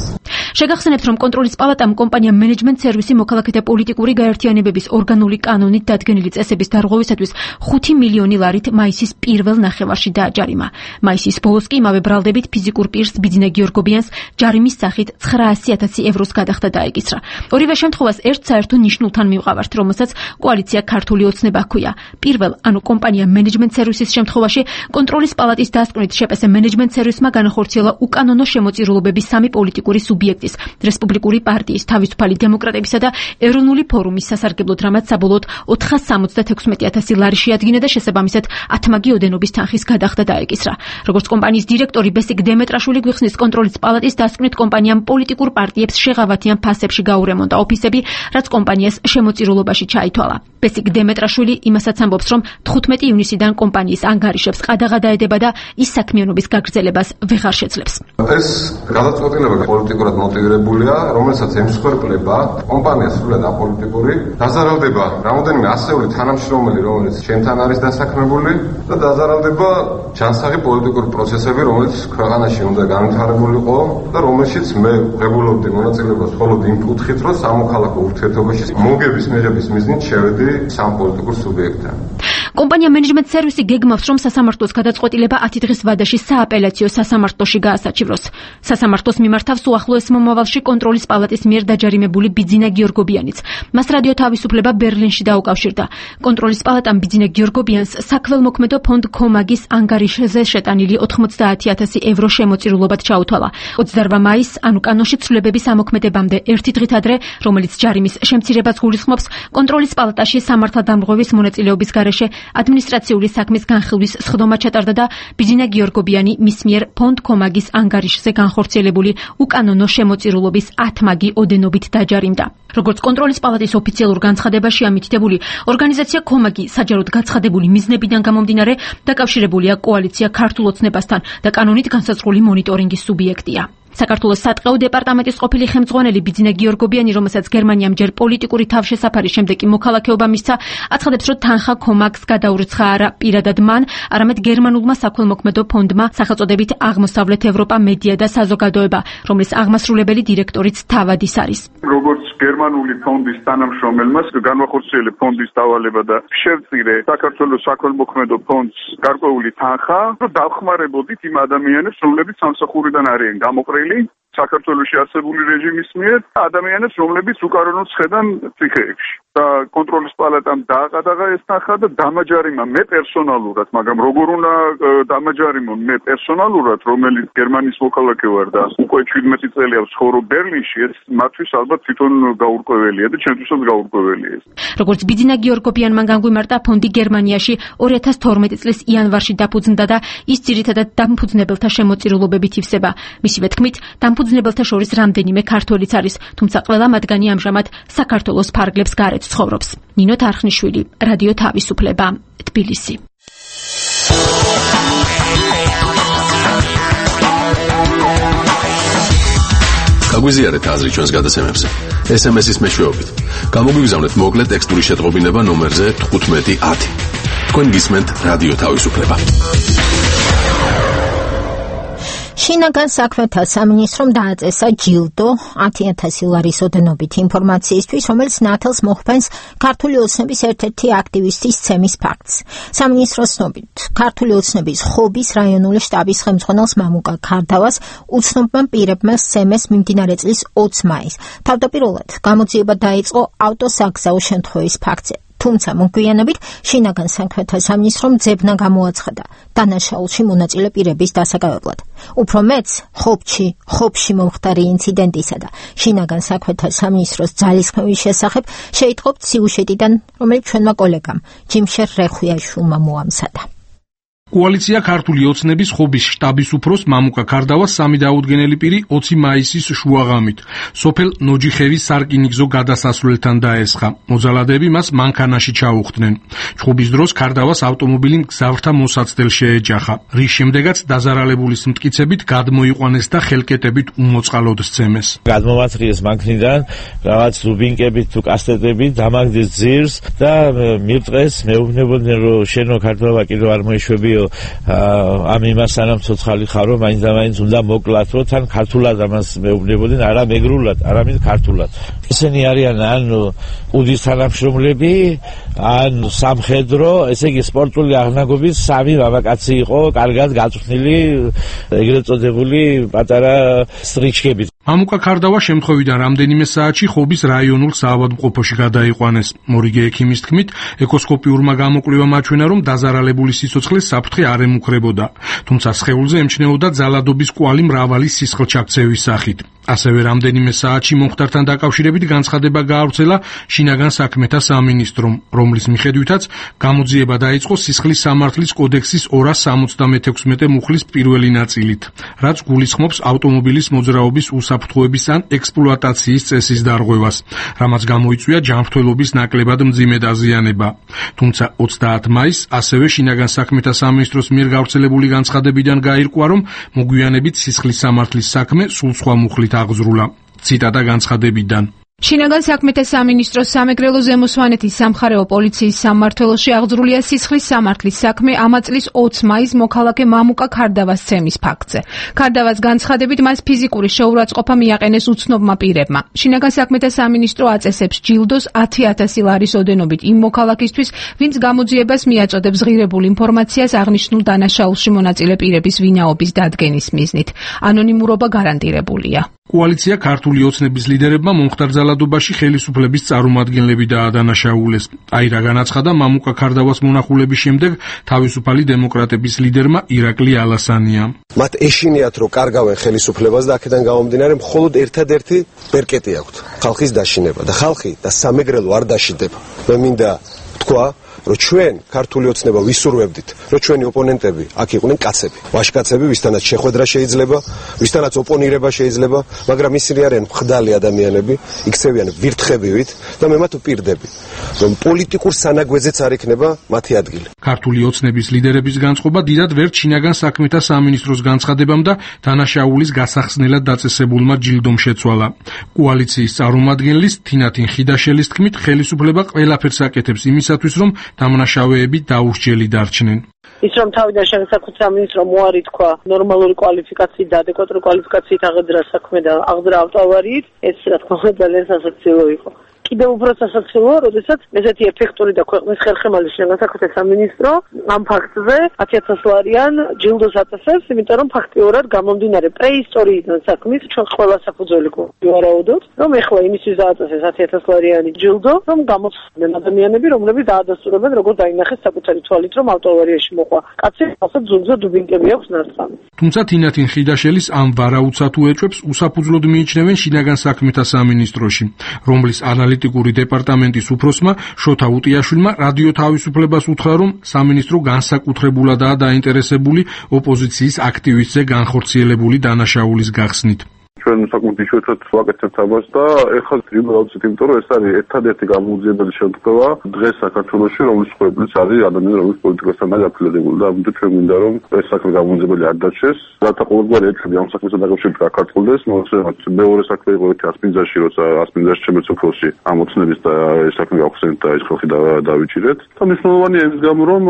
შეგახსენებთ, რომ კონტროლის პალატამ კომპანია მენეჯმენტ სერვისი მოქალაქეთა პოლიტიკური გაერთიანებების ორგანული კანონით დადგენილი წესების დარღვევისათვის 5 მილიონი ლარით მაისის პირველ ნახევარში დააჯარიმა. მაისის ბოლოს კი იმავე ბრალდებით ფიზიკურ პირს ბიძინა გიორგობიანს ჯარიმის სახით 900,000 ევროს გადახდა დაეკისრა. ორივე შემთხვევას ერთ საერთო ნიშნულთან მივყავართ, რომელსაც კოალიცია ქართული ოცნება ჰქვია. პირველ, ანუ კომპანია მენეჯმენტ სერვისის შემთხვევაში კონტროლის პალატის დასკვნით შეპესე მენეჯმენტ სერვისმა განახორციელა უკანონო შემოწირულობები სამი პოლიტიკური სუბიექტის, რესპუბლიკური პარტიის, თავისუფალი დემოკრატებისა და ეროვნული ფორუმის სასარგებლოდ, რამაც საბოლოოდ 476,000 ლარი შეადგინა და შესაბამისად 10 მაგი ოდენობის თანხის გადახდა დაეკისრა. როგორც კომპანიის დირექტორი ბესიკ დემეტრაშვილი გვიხსნის, კონტროლის პალატის დასკვნით კომპანიამ პოლიტიკურ პარტიებს შეღავათიან ფასებში გაურემონტა ოფისები, რაც კომპანიას შემოწირულობაში ჩაითვალა. ბესიკ დემეტრაშვილი იმასაც ამბობს, რომ 15 ივნისიდან კომპანიის ანგარიშებს ყადაღა დაედება და ის საქმიანობის გაგრძელებას ვეღარ შეძლებს. ეს გადაწყვეტილება პოლიტიკურად მოტივირებულია, რომელსაც ემსხვერპლება კომპანია სრულად აპოლიტიკური, დაზარალდება რამოდენიმე ასეული თანამშრომელი, რომელიც ჩემთან არის დასაქმებული და დაზარალდება ჯანსაღი პოლიტიკური პროცესები, რომელიც ქვეყანაში უნდა განვითარებულიყო და რომელშიც მე ღებულობდი მონაწილეობას მხოლოდ იმ კუთხით, რომ სამოქალაქო ურთიერთობაში მოგების მიღების მიზნით შევედი სამ პოლიტიკურ სუბიექტთან. კომპანია მენეჯმენტ სერვისი გეგმავს, რომ სასამართლოს გადაწყვეტილება 10 დღის ვადაში სააპელაციო სასამართლოში გაასაჩივროს. სასამართლოს მიმართავს უახლოეს მომავალში კონტროლის პალატის მიერ დაჯარიმებული ბიძინა გიორგობიანიც. მას რადიო თავისუფლება ბერლინში დაუკავშირდა. კონტროლის პალატამ ბიძინა გიორგობიანს საქველმოქმედო ფონდ კომაგის ანგარიშზე შეტანილი 90,000 евро შემოწირულობად ჩაუთვალა. 28 მაისს, ანუ კანონში ცვლილებების ამოქმედებამდე ერთი დღით ადრე, რომელიც ჯარიმის შემცირებას გულისხმობს, კონტროლის პალატაში სამართალდამრღვევის მონაწილეობის გარეშე ადმინისტრაციული საქმის განხილვის სხდომა ჩატარდა და ბიძინა გიორგობიანი მის მიერ ფონდ კომაგის ანგარიშზე განხორციელებული უკანონო შემოწირულობის 10 მაგი ოდენობით დაჯარიმდა. როგორც კონტროლის პალატის ოფიციალურ განცხადებაში ამითითებული, ორგანიზაცია კომაგი საჯაროდ გაცხადებული მიზნებიდან გამომდინარე დაკავშირებულია კოალიცია ქართულ ოცნებასთან და კანონით განსაზღვრული მონიტორინგის სუბიექტია. საქართველოს სატყეო დეპარტამენტის ყოფილი ხელმძღვანელი ბიძინა გიორგობიანი, რომელსაც გერმანიამ ჯერ პოლიტიკური თავშესაფარის შემდეგ კი მოქალაქეობა მისცა, აცხადებს, რომ თანხა კომაგს გადაურიცხა არა პირადად მან, არამედ გერმანულმა საქველმოქმედო ფონდმა სახელწოდებით აღმოსავლეთ ევროპა მედია და საზოგადოება, რომლის აღმასრულებელი დირექტორიც თავად ის არის. როგორც გერმანული ფონდის თანამშრომელმა განვახორციელე ფონდის დავალება და შევწირე საქართველოს საქველმოქმედო ფონდს გარკვეული თანხა, რომ დავხმარებოდით იმ ადამიანებს, რომლებიც სამსახურიდან არიან გამოყრილი საქართველოში არსებული რეჟიმის მიერ ადამიანებს, რომლებიც უკანონოდ შედან ციხეებში. და კონტროლის პალატამ დააყადაღა ეს თანხა და დამაჯარიმა მე პერსონალურად, მაგრამ როგორ უნდა დამაჯარიმონ მე პერსონალურად, რომელიც გერმანიის მოქალაქე ვარ და უკვე 17 წელია ვცხოვრობ ბერლინში, ეს მათთვის ალბათ თვითონ გაურკვეველია და ჩემთვისაც გაურკვეველია ეს. როგორც ბიძინა გიორგობიანმა განგვიმარტა, ფონდი გერმანიაში 2012 წლის იანვარში დაფუძნდა და ის ძირითადად დამფუძნებელთა შემოწირულობებით ივსება. მისივე თქმით, დამფუძნებელთა შორის რამდენიმე ქართველიც არის, თუმცა ყველა მათგანი ამჟამად საქართველოს ფარგლებს გარეთ ცხოვრობს. ნინო თარხნიშვილი, რადიო თავისუფლება, თბილისი. გაგვიზიარეთ აზრი ჩვენს გადაცემებზე. SMS-ის მეშვეობით. გამოგვიგზავნეთ მოკლე ტექსტური შეტყობინება ნომერზე 1510. თქვენ გისმენთ რადიო თავისუფლება. შინაგან საქმეთა სამინისტრომ დააწესა ჯილდო 10,000 ლარის ოდენობით ინფორმაციისთვის, რომელიც ნათელს მოხმენს ქართული ოცნების ერთ-ერთი აქტივისტის ცემის ფაქტს. სამინისტროს ცნობით, ქართული ოცნების ხობის რაიონული შტაბის ხელმძღვანელს მამუკა ქარდავას უცნობმა პირებმა სცემეს მიმდინარე წლის 20 მაისს. თავდაპირველად გამოძიება დაიწყო ავტოსაგზაო შემთხვევის ფაქტზე. თუმცა მოგვიანებით შინაგან საქმეთა სამინისტრომ ძებნა გამოაცხადა დანაშაულში მონაწილე პირების დასაკავებლად. უფრო მეც ხობში მომხდარი ინციდენტისა და შინაგან საქმეთა სამინისტროს ძალისხმევის შესახებ შეიტყობთ სიუჟეტიდან, რომელიც ჩვენმა კოლეგამ ჯიმშერ რეხვიაშვილმა მოამზადა. კოალიცია ქართული ოცნების ხობის შტაბის უფროს მამუკა ქარდავას 3 დაუდგენელი პირი 20 მაისის შუაღამით სოფელ ნოჯიხევის სარკინიგზო გადასასვლელთან დაესხა. მოძალადეები მას მანქანაში ჩაუხდნენ. ჩხუბის დროს ქარდავას ავტომობილი მგზავრთა მოსაცდელ შეეჯახა, რის შემდეგაც დაზარალებულის მტკიცებით გადმოიყვანეს და ხელკეტებით უმოწყალოდ სცემეს. გადმოვაწრიეს მანქნიდან რაღაც დუბინკებით თუ კასტეტებით, დამაგდეს ძირს და მივტყეს, მეუბნებოდნენ, რომ შენო ქარდავა კიდევ არ მოეშვებიო ამ იმას სანამ ცოცხალი ხარო, მაინც და მაინც უნდა მოკლათ, რომ თან ქართულად ამას მეუბნებოდნენ, არა მეგრულად, არამედ ქართულად. ესენი არიან ან უდის თანამშრომლები, ან სამხედრო, ესე იგი სპორტული აღნაგობის 3 მამაკაცი იყო, კარგად გაწვრთნილი, ეგრეთ წოდებული პატარა სტრიჩკებით. მამუკა ქარდავა შემთხვევიდან რამდენიმე საათში ხობის რაიონულ საავადმყოფოში გადაიყვანეს. მორიგე ექიმის თქმით, ეკოსკოპიურმა გამოკვლევამ აჩვენა, რომ დაზარალებული სიცოცხლე საფრთხე არ ემუქრებოდა, თუმცა სხეულზე ემჩნეოდა ძალადობის კვალი მრავალი სისხლჩაქცევის სახით. ასევე რამდენიმე საათში მომხდართან დაკავშირებით განცხადება გაავრცელა შინაგან საქმეთა სამინისტრომ, რომლის მიხედვითაც გამოძიება დაიწყო სისხლის სამართლის კოდექსის 276 მუხლის პირველი ნაწილით, რაც გულისხმობს ავტომობილის მოძრაობის უსაფრთხოების ან ექსპლუატაციის წესის დარღვევას, რამაც გამოიწვია ჯანმრთელობის ნაკლებად მძიმე დაზიანება. თუმცა 30 მაისს ასევე შინაგან საქმეთა სამინისტროს მიერ გავრცელებული განცხადებიდან გაირკვა, რომ მოგვიანებით სისხლის სამართლის საქმე სულ სხვა მუხლით აღზრულა. ციტატა განცხადებიდან. შინაგან საქმეთა სამინისტროს სამეგრელო ზემოსვანეთის სამხარეო პოლიციის სამმართველოში აღძრულია სისხლის სამართლის საქმე ამა წლის 20 მაისს მოქალაქე მამუკა ქარდავას ცემის ფაქტზე. ქარდავას განცხადებით მას ფიზიკური შეურაცხყოფა მიაყენეს უცნობმა პირებმა. შინაგან საქმეთა სამინისტრო აწესებს ჯილდოს 10,000 ლარის ოდენობით იმ მოქალაქისთვის, ვინც გამოძიებას მიაწოდებს ღირებულ ინფორმაციას აღნიშნულ დანაშაულში მონაწილე პირების ვინაობის დადგენის მიზნით. ანონიმურობა გარანტირებულია. კოალიცია ქართული ოცნების ლიდერებმა მომხდარ ძალადობაში ხელისუფლების წარმომადგენლები დაადანაშაულეს. აირა განაცხადა მამუკა ქარდავას მონახულების შემდეგ თავისუფალი დემოკრატების ლიდერმა ირაკლი ალასანია. მათ ეშინიათ, რომ კარგავენ ხელისუფლებას და აქედან გამომდინარე მხოლოდ ერთადერთი ბერკეტი აქვთ, ხალხის დაშინება და ხალხი და სამეგრელო არ დაშინდება. მე მინდა თქვა, რომ ჩვენ ქართული ოცნება ვისურვებდით, რომ ჩვენი ოპონენტები აქ იყვნენ კაცები, ვაჟკაცები, ვისთანაც შეხვედრა შეიძლება, ვისთანაც ოპონირება შეიძლება, მაგრამ ისინი არიან მხდალი ადამიანები, იქცევიან ვირთხებივით და მე მათ ვპირდები, რომ პოლიტიკურ სანაგვეძეც არ იქნება მათი ადგილი. ქართული ოცნების ლიდერების განწყობა დიდად ვერ შინაგან საქმეთა სამინისტროს განცხადებამ და დანაშაულის გასახსნელად დაწესებულმა ჯილდომ შეცვალა. კოალიციის წარმომადგენლის თინათინ ხიდაშელის თქმით, ხელისუფლება ყველაფერს აკეთებს იმისათვის, რომ დამნაშავეები დაუსჯელი დარჩნენ. ის რომ თავიდან შეგსაკუთრებულ სამინისტრო მოარი თქვა ნორმალური კვალიფიკაციით და ადეკვატური კვალიფიკაციით აღძრა საქმე და აღძრა ავტოავარიით, ეს რა თქმა უნდა ძალიან სასაცილო იყო. კიდევ უფრო სასაცილოა, როდესაც ესეთი ეფექტური და ქვეყნის ხერხემალი შინაგან საქმეთა სამინისტრო ამ ფაქტზე 10,000 ლარიან ჯილდოს აწესებს, იმიტომ რომ ფაქტიურად გამომდინარე პრეისტორიიდან საქმის ჩვენ ყველა საფუძველი გვარაუდოთ, რომ ეხლა იმისთვის დააწესეს 10,000 ლარიანი ჯილდო, რომ გამოცდნენ ადამიანები, რომლებიც დაადასტურებენ როგორ დაინახეს საკუთარი თვალით, რომ ავტოავარიაში მოყვა. კაცი ასე ძუნძა დუბინკები აქვს ნარწამი. თუმცა თინათინ ხიდაშელის ამ ვარაუდსა თუ ეჭვებს უსაფუძვლოდ მიიჩნევენ შინაგან საქმეთა სამინისტროში, რომლის ანალიტიკური დეპარტამენტის უფროსმა შოთა უტიაშვილმა რადიო თავისუფლებას უთხრა, რომ სამინისტრო განსაკუთრებულადაა დაინტერესებული ოპოზიციის აქტივისტზე განხორციელებული დანაშაულის გახსნით. ჩვენ საკუთარ შეუცვათ ვაკეთებთ ამას და ეხლა დავწით, იმიტომ რომ ეს არის ერთადერთი გამოუძიებელი შემთხვევა დღეს საქართველოში, რომლის ხოებიც არის ადამიანები, რომლის პოლიტიკასთან არის აფილირებული და ამიტომ ჩვენ მინდა რომ ეს საქმე გამოუძიებელი არ დარჩეს. რათა ყოველგვარი ეჭვი ამ საქმესთან დაკავშირებით გაქართულდეს, მოხსენებათ მეორე საქმე იყო ერთი ასპინძაში, როცა ასპინძაში ჩემეც უფროსი ამოცნების და ეს საქმე გავხსენეთ და ეს ხალხი დავიჭირეთ. და მნიშვნელოვანია ის გამო რომ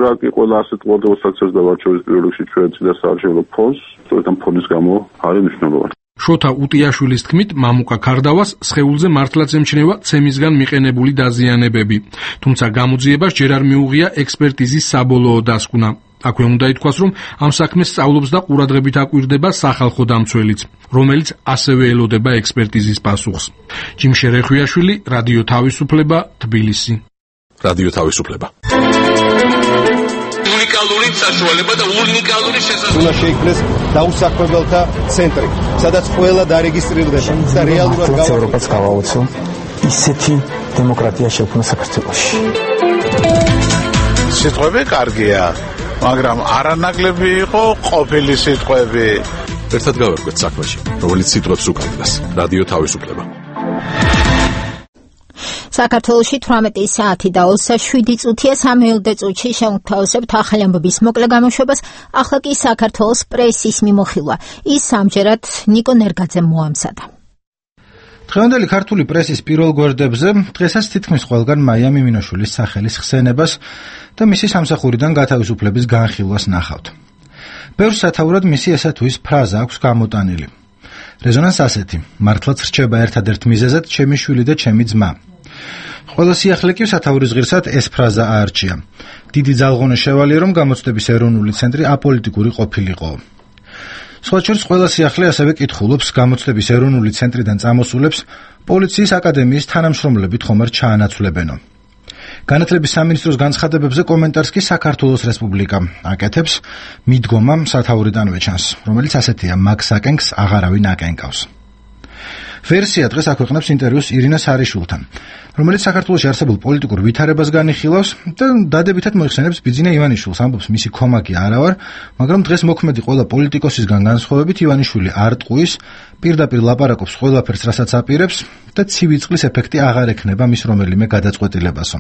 რაკი ყველა ასეთ მოდელსაც და ვარჩევის პირველ რიგში ჩვენ წინას საარჩევნო ფონდს, სწორედ ამ ფონდის გამო არის მნიშვნელოვანი. შოთა უტიაშვილის თქმით, მამუკა ქარდავას სხეულზე მართლაც ემჩნევა ცემისგან მიყენებული დაზიანებები, თუმცა გამოძიებას ჯერ არ მიუღია ექსპერტიზის საბოლოო დასკვნა. აქვე უნდა ითქვას, რომ ამ საქმეს სწავლობს და ყურადღებით აკვირდება სახალხო დამცველიც, რომელიც ასევე ელოდება ექსპერტიზის პასუხს. ჯიმშე რეხვიაშვილი, რადიო თავისუფლება, თბილისი. რადიო თავისუფლება. უნიკალური საშუალება და უნიკალური შესაძლებლობა. უნდა შეიქმნეს დაუსაქმებელთა ცენტრი, სადაც ყველა დარეგისტრირდება და რეალურად ევროპას გავაოცო ისეთი დემოკრატია შექმნა საქართველოში. სიტყვები კარგია, მაგრამ არანაკლები იყო ყოფილი სიტყვები. ერთად გავერკვეთ საქმეში, რომელიც სიტყვებს უკავშირდება. რადიო თავისუფლება. საქართველოში 18 საათი და 27 წუთია 3 წუთში შევთავაზებთ ახალი ამბების მოკლე გამოშვებას. ახლა კი საქართველოს პრესის მიმოხილვა. ის ამჯერად ნიკო ნერგაძემ მოამზადა. დღევანდელი ქართული პრესის პირველ გვერდებზე დღესაც თითქმის ყველგან მაია მიმინოშვილის სახელის ხსენებას და მისი სამსახურიდან გათავისუფლების განხილვას ნახავთ. ბევრ სათაურად მისი ესა თუ ის ფრაზა აქვს გამოტანილი. რეზონანს ასეთი: მართლაც რჩება ერთადერთ მიზეზად ჩემი შვილი და ჩემი ძმა. ყველა სიახლე კი სათაურის ღირსად ეს ფრაზა აარჩია. დიდი ძალღონე შევალია, რომ გამოცდების ეროვნული ცენტრი აპოლიტიკური ყოფილიყო. სხვა შორის ყველა სიახლე ასევე კითხულობს გამოცდების ეროვნული ცენტრიდან წამოსულებს პოლიციის აკადემიის თანამშრომლებით ხომ არ ჩაანაცვლებენო. განათლების სამინისტროს განცხადებებზე კომენტარს კი საქართველოს რესპუბლიკა აკეთებს მიდგომა სათაურიდანვე ჩანს, რომელიც ასეთია: მაგ საკენკს აღარავინ აკენკავს. ვერსია დღეს აქვეყნებს ინტერვიუს ირინა სარიშვილთან, რომელიც საქართველოში არსებულ პოლიტიკურ ვითარებას განიხილავს და დადებითად მოიხსენებს ბიძინა ივანიშვილს, ამბობს მისი ქომაკი არა ვარ, მაგრამ დღეს მოქმედი ყველა პოლიტიკოსისგან განსხვავებით ივანიშვილი არ ტყუის, პირდაპირ ლაპარაკობს ყველაფერს, რასაც აპირებს და ცივი წყლის ეფექტი აღარ ექნება მის რომელიმე გადაწყვეტილებასო.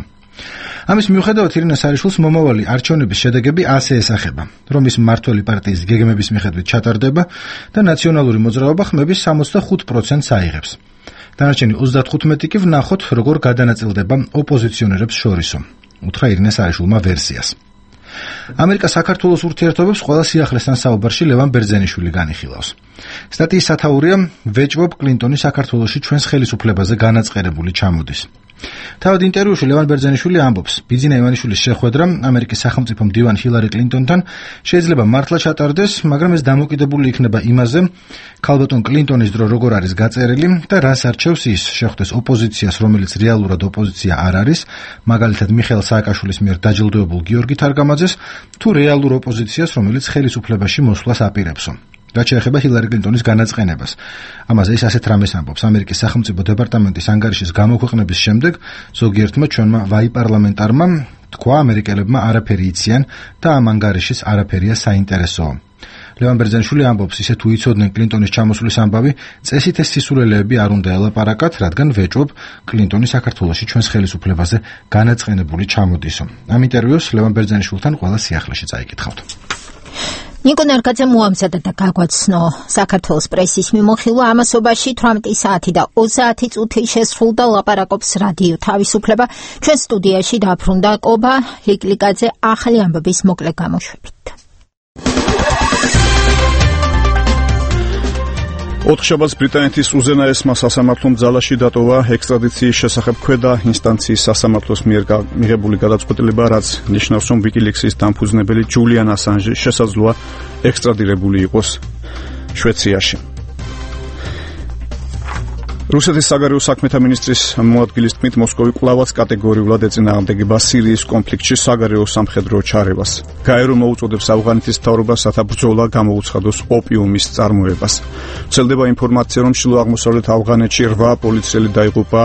ამის მიუხედავად ირინა სარიშვილს მომავალი არჩევნების შედეგები ასე ესახება, რომ ის მმართველი პარტიის გეგმების მიხედვით ჩატარდება და ნაციონალური მოძრაობა ხმების 65%-ს აიღებს. დანარჩენი 35 კი ვნახოთ, როგორ გადანაწილდება ოპოზიციონერებს შორისო. უთხრა ირინა სარიშვილმა ვერსიას. ამერიკა საქართველოს ურთიერთობებს ყველა სიახლესთან საუბარში ლევან ბერძენიშვილი განიხილავს. სტატიის სათაურია: ვეჭვობ კლინტონი საქართველოში ჩვენს ხელისუფლებაზე განაწყერებული ჩამოდის. თავად ინტერვიუში ლევან ბერძენიშვილი ამბობს, ბიძინა ივანიშვილის შეხვედრა ამერიკის სახელმწიფო მდივან ჰილარი კლინტონთან შეიძლება მართლა ჩატარდეს, მაგრამ ეს დამოკიდებული იქნება იმაზე, ქალბატონ კლინტონის დრო როგორ არის გაწერილი და რას არჩევს ის, შეხვდეს ოპოზიციას, რომელიც რეალურად ოპოზიცია არ არის, მაგალითად მიხეილ სააკაშვილის მიერ დაჯილდოებულ გიორგი თარგამაძეს, თუ რეალურ ოპოზიციას, რომელიც ხელისუფლებაში მოსვლას აპირებსო. რაც შეეხება ჰილარი კლინტონის განაწყენებას. ამაზე ის ასეთ რამეს ამბობს. ამერიკის სახელმწიფო დეპარტამენტის ანგარიშის გამოქვეყნების შემდეგ ზოგიერთმა ჩვენმა ვაი-პარლამენტარმა თქვა, ამერიკელებმა არაფერი იციან და ამ ანგარიშის არაფერია საინტერესო. ლევან ბერძენიშვილი ამბობს, ისე თუ იცოდნენ კლინტონის ჩამოსulis ამბავი, წესით ეს სისულელეები არ უნდა ელაპარაკათ, რადგან ვეჭვობ კლინტონი საქართველოში ჩვენს ხელისუფლებაზე განაწყენებული ჩამოდისო. ამ ინტერვიუს ლევან ბერძენიშვილთან ყველა სიახლეში წაიკითხავთ. ნიკო ნარგაძე მოამზადა და გაგვაცნო საქართველოს პრესის მიმოხილვა ამასობაში 18 საათი და 30 წუთი შესრულდა ლაპარაკობს რადიო თავისუფლება. ჩვენ სტუდიაში დაბრუნდა კობა ლიკლიკაძე ახალი ამბების მოკლე გამოშვებით. ოთხშაბათს ბრიტანეთის უზენაესმა სასამართლომ ძალაში დატოვა ექსტრადიციის შესახებ ქვედა ინსტანციის სასამართლოს მიერ მიღებული გადაწყვეტილება, რაც ნიშნავს, რომ ვიკილիქსის დამფუძნებელი ჯულიან ასანჟი შესაძლოა ექსტრადირებული იყოს შვეიცარიაში. რუსეთის საგარეო საქმეთა მინისტრის მოადგილის თქმით, მოსკოვი კვლავაც კატეგორიულად ეწინააღმდეგება სირიის კონფლიქტში საგარეო სამხედრო ჩარევას. გაერო მოუწოდებს ავღანეთის მთავრობას, რათა ბრძოლა გამოუცხადოს ოპიუმის წარმოებას. ვრცელდება ინფორმაცია, რომ ჩრდილო აღმოსავლეთ ავღანეთში 8 პოლიციელი დაიღუპა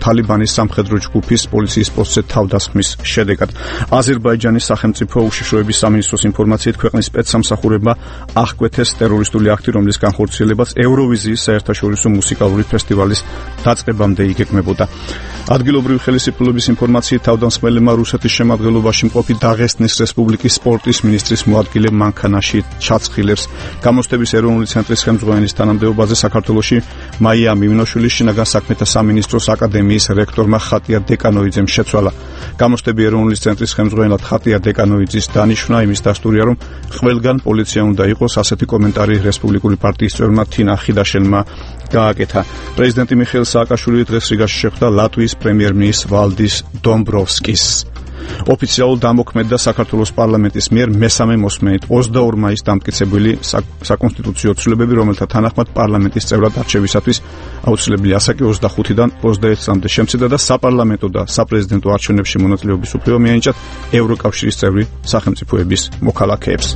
თალიბანის სამხედრო ჯგუფის პოლიციის პოსტზე თავდასხმის შედეგად. აზერბაიჯანის სახელმწიფო უშიშროების სამინისტროს ინფორმაციით, ქვეყნის სპეცსამსახურებმა აღკვეთეს ტერორისტული აქტი, რომლის განხორციელებაც ევროვიზიის საერთაშორისო მუსიკალური ფესტივალის დაწყებამდე იგეგმებოდა. ადგილობრივი ხელისუფლების ინფორმაციით, თავდამსხმელებმა რუსეთის შემადგენლობაში მყოფი დაღესტნის რესპუბლიკის სპორტის მინისტრის მოადგილე მანქანაში ჩაცხილებს. გამოცდების ეროვნული ცენტრის ხელმძღვანელის თანამდებობაზე საქართველოში მაია მიმინოშვილის შინაგან საქმეთა სამინისტროს აკადემიის რექტორმა ხატია დეკანოიძემ შეცვალა. გამოცდები ეროვნული ცენტრის ხელმძღვანელად ხატია დეკანოიძის დანიშვნა იმის დასტურია, რომ ყველგან პოლიცია უნდა იყოს. ასეთი კომენტარი რესპუბლიკური პარტიის წევრმა თინა ხიდაშელმა გააკეთა. პრეზიდენტი მიხეილ სააკაშვილი დღეს რიგაში შეხვდა ლატვიის პრემიერ-მინისტრ ვალდის დომბროვსკის. ოფიციალურ დამოქმედდა საქართველოს პარლამენტის მიერ მესამე მოსმენით 22 მაისს დამტკიცებული საკონსტიტუციო ცვლილებები, რომელთა თანახმად პარლამენტის წევრად არჩევისათვის აუცილებელია ასაკი 25-დან 21 წლამდე შემცირდა და საპარლამენტო და საპრეზიდენტო არჩევნებში მონაწილეობის უფლება მიენიჭათ ევროკავშირის წევრი სახელმწიფოების მოქალაქეებს.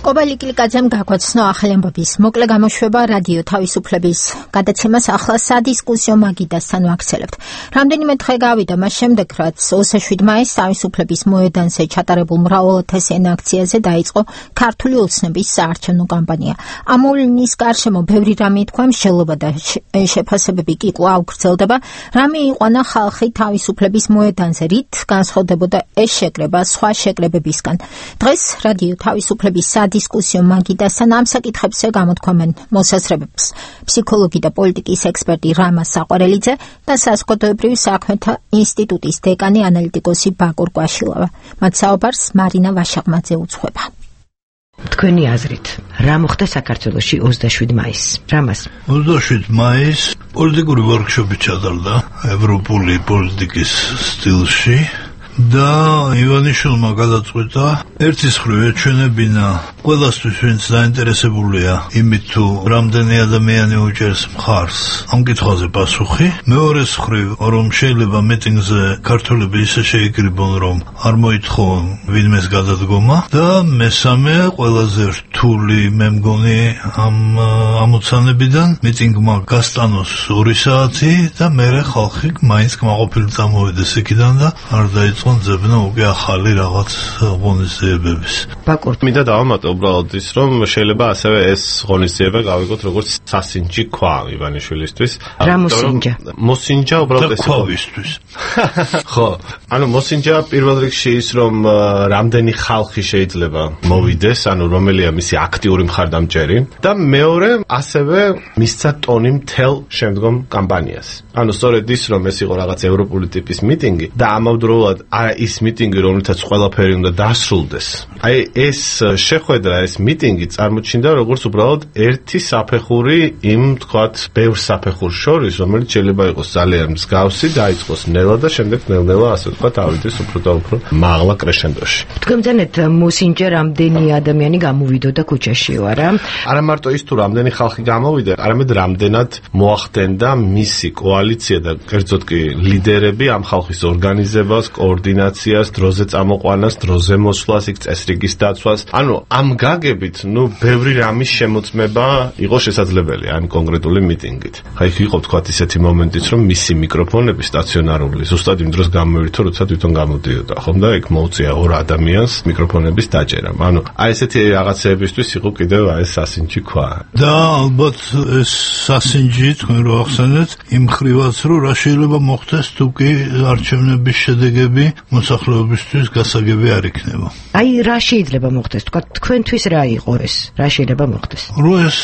კობა ლიკლიკაძემ გაგვაცნო ახალი ამბების მოკლე გამოშვება რადიო თავისუფლების გადაცემას ახლა სადისკუსიო მაგიდასთან ვაქცელებთ. რამდენიმე დღე გავიდა მას შემდეგ, რაც 27 მაისს თავისუფლების მოედანზე ჩატარებულ მრავალათასიან აქციაზე დაიწყო ქართული ოცნების საარჩევნო კამპანია. ამოვლის გარშემო ბევრი რამე ითქვა, მსჯელობა და შეფასებები კი კვლავ გრძელდება. რამე იყვანა ხალხი თავისუფლების მოედანზე, რით განსხვავდებოდა ეს შეკრება სხვა შეკრებებისგან. დღეს რადიო თავისუფლების დისკუსიო მაგიდასთან ამ საკითხებზე გამოთქვამენ მოსაზრებებს ფსიქოლოგი და პოლიტიკის ექსპერტი რამა საყვარელიძე და საზოგადოებრივ საქმეთა ინსტიტუტის დეკანი ანალიტიკოსი ბაკურ კვაშილავა. მათ საუბარს მარინა ვაშაღმაძე უძღვება. თქვენი აზრით, რა მოხდა საქართველოში 27 მაისს? რამას? 27 მაისს პოლიტიკური ვორქშოპი ჩატარდა ევროპული პოლიტიკის სტილში. და ივანიშვილმა გადაწყვეტა ერთის მხრივ ეჩვენებინა ყველასთვის, ვინც დაინტერესებულია იმით, თუ რამდენი ადამიანი უჭერს მხარს ამ კითხვაზე პასუხი. მეორეს მხრივ, რომ შეიძლება მიტინგზე ქართველები ისე შეიკრიბონ, რომ არ მოითხოვონ ვინმეს გადადგომა. და მესამე, ყველაზე რთული მე მგონი ამ ამოცანებიდან, მიტინგმა გასტანოს 2 საათი და მერე ხალხი მაინც კმაყოფილი წამოვიდეს იქიდან და არ დაიწყო ძებნა უკვე ახალი რაღაც ღონისძიებების. ბაკურ, მინდა დავამატო უბრალოდ ის, რომ შეიძლება ასევე ეს ღონისძიება გავიგოთ როგორც სასინჯი ქვა ივანიშვილისთვის. რა მოსინჯა? მოსინჯა უბრალოდ ეს ქვავისთვის. ხო, ანუ მოსინჯა პირველ რიგში ის, რომ რამდენი ხალხი შეიძლება მოვიდეს, ანუ რომელია მისი აქტიური მხარდამჭერი და მეორე ასევე მისცა ტონი მთელ შემდგომ კამპანიას. ანუ სწორედ ის, რომ ეს იყო რაღაც ევროპული ტიპის მიტინგი და ამავდროულად ის მიტინგი, რომელთაც ყველაფერი უნდა დასრულდეს. აი ეს შეხვედრა, ეს მიტინგი წარმოჩინდა როგორც უბრალოდ ერთი საფეხური იმ, თქვათ, ბევრ საფეხურს შორის, რომელიც შეიძლება იყოს ძალიან მსგავსი, დაიწყოს ნელა და შემდეგ ნელ-ნელა ასე ვთქვათ, ავიდეს უფრო და უფრო მაღლა კრეშენდოში. თქვენ ძანეთ მოსინჯა რამდენი ადამიანი გამოვიდოდა ქუჩაშიო, არა? არა მარტო ის თუ რამდენი ხალხი გამოვიდა, არამედ რამდენად მოახდენდა მისი კოალიცია და კერძოდ კი ლიდერები ამ ხალხის ორგანიზებას, კოორდინაციას, დროზე წამოყვანას, დროზე მოსვლას, იქ წესრიგის დაცვას. ანუ ამ გაგებით, ბევრი რამის შემოწმება იყო შესაძლებელი ამ კონკრეტული მიტინგით. ხა იქ იყო თქვათ ისეთი მომენტიც, რომ მისი მიკროფონები სტაციონარული ზუსტად იმ დროს გამოირთო, როცა თვითონ გამოდიოდა, ხომ და იქ მოუწია ორ ადამიანს მიკროფონების დაჭერა. ანუ აი ესეთი რაღაცეებისთვის იყო კიდევ აი ეს სასინჯი ქვა. და ალბათ ეს სასინჯი თქვენ რო ახსენეთ, იმ ხრივაც რომ რა შეიძლება მოხდეს თუ კი არჩევნების შედეგები მოსახლეობისთვის გასაგები არ იქნება. აი რა შეიძლება მოხდეს? თქვენთვის რა იყო ეს? რა შეიძლება მოხდეს? რო ეს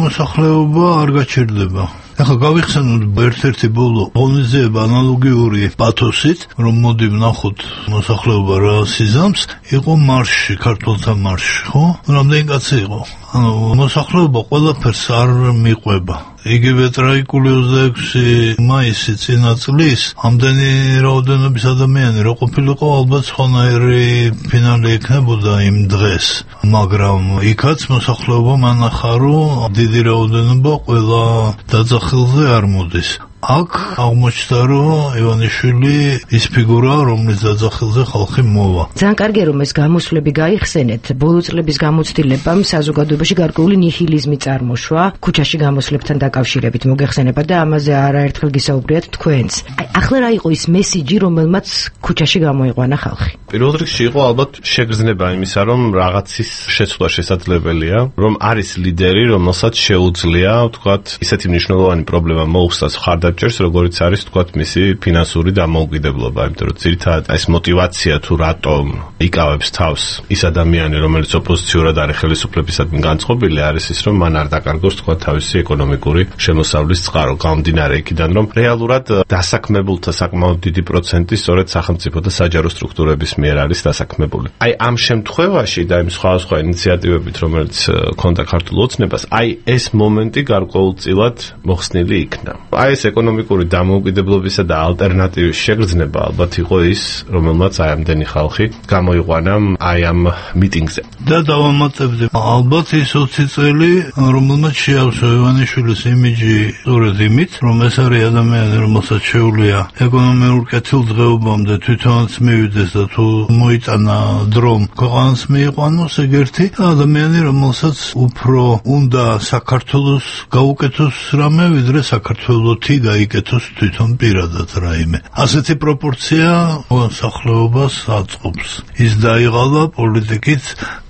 მოსახლეობა არ გაჩერდება. ახლა გავიხსენოთ ერთ-ერთი ბოლო ღონისძიება ანალოგიური პათოსით, რომ მოდი ვნახოთ მოსახლეობა რა სიზამს, იყო მარში, ქართველთა მარში, ხო? რამდენი კაცი იყო? ანუ მოსახლეობა ყველაფერს არ მიყვება. იგივე ტრაგიკული 26 მაისი წინა წლის ამდენი რაოდენობის ადამიანი რო ყოფილიყო, ალბათ სხვანაირი ფინალი იქნებოდა იმ დღეს, მაგრამ იქაც მოსახლეობა მანახა, რომ დიდი რაოდენობა ყველა დაძახილზე არ მოდის. აქ აღმოჩნდა, რომ ივანიშვილი ის ფიგურაა, რომლის დაძახილზე ხალხი მოვა. ძალიან კარგია, რომ ეს გამოსვლები გაიხსენეთ. ბოლო წლების გამოცდილებამ საზოგადოებაში გარკვეული ნიჰილიზმი წარმოშვა, ქუჩაში გამოსვლებთან დაკავშირებით მოგეხსენება და ამაზე არაერთხელ გისაუბრიათ თქვენც. ახლა რა იყო ის მესიჯი, რომელმაც ქუჩაში გამოიყვანა ხალხი? პირველ რიგში იყო ალბათ შეგრძნება იმისა, რომ რაღაცის შეცვლა შესაძლებელია, რომ არის ლიდერი, რომელსაც შეუძლია, ვთქვათ, ისეთი მნიშვნელოვანი პრობლემა მოუხსნას ხარდაჭერს, როგორც არის, ვთქვათ, მისი ფინანსური დამოუკიდებლობა, იმიტომ რომ ძირითადად ეს мотиваცია თუ რატომ იკავებს თავს ის ადამიანი, რომელიც ოპოზიციურად არის ხელისუფლებისადმი განწყობილი, არის ის, რომ მან არ დაკარგოს, ვთქვათ, თავისი ეკონომიკური შემოსავლის წყარო, გამომდინარე იქიდან, რომ რეალურად დასაქმებულთა საკმაოდ დიდი პროცენტი სწორედ სახელმწიფო და საჯარო სტრუქტურების მიერ არის დასაქმებული. აი ამ შემთხვევაში და იმ სხვადასხვა ინიციატივებით, რომელიც ქონდა ქართულ ოცნებას, აი ეს მომენტი გარკვეულწილად მოხსნილი იქნა. აი ეს ეკონომიკური დამოუკიდებლობისა და ალტერნატივის შეგრძნება ალბათ იყო ის, რომელმაც აი ამდენი ხალხი გამოიყვანა აი ამ მიტინგზე. და დავამატებდი, ალბათ ის 20 წელი, რომელმაც შეავსო ივანიშვილის იმიჯი სწორედ იმით, რომ ეს არის ადამიანი, რომელსაც შეუძლია ეკონომიურ კეთილდღეობამდე თვითონაც მივიდეს და თუ მოიტანა დრომ ქვეყანას მიიყვანოს ეგერთი ადამიანი, რომელსაც უფრო უნდა საქართველოს გაუკეთოს რამე, ვიდრე საქართველოთი გაიკეთოს თვითონ პირადად რაიმე. ასეთი პროპორცია მოსახლეობას აწყობს. ის დაიღალა პოლიტიკით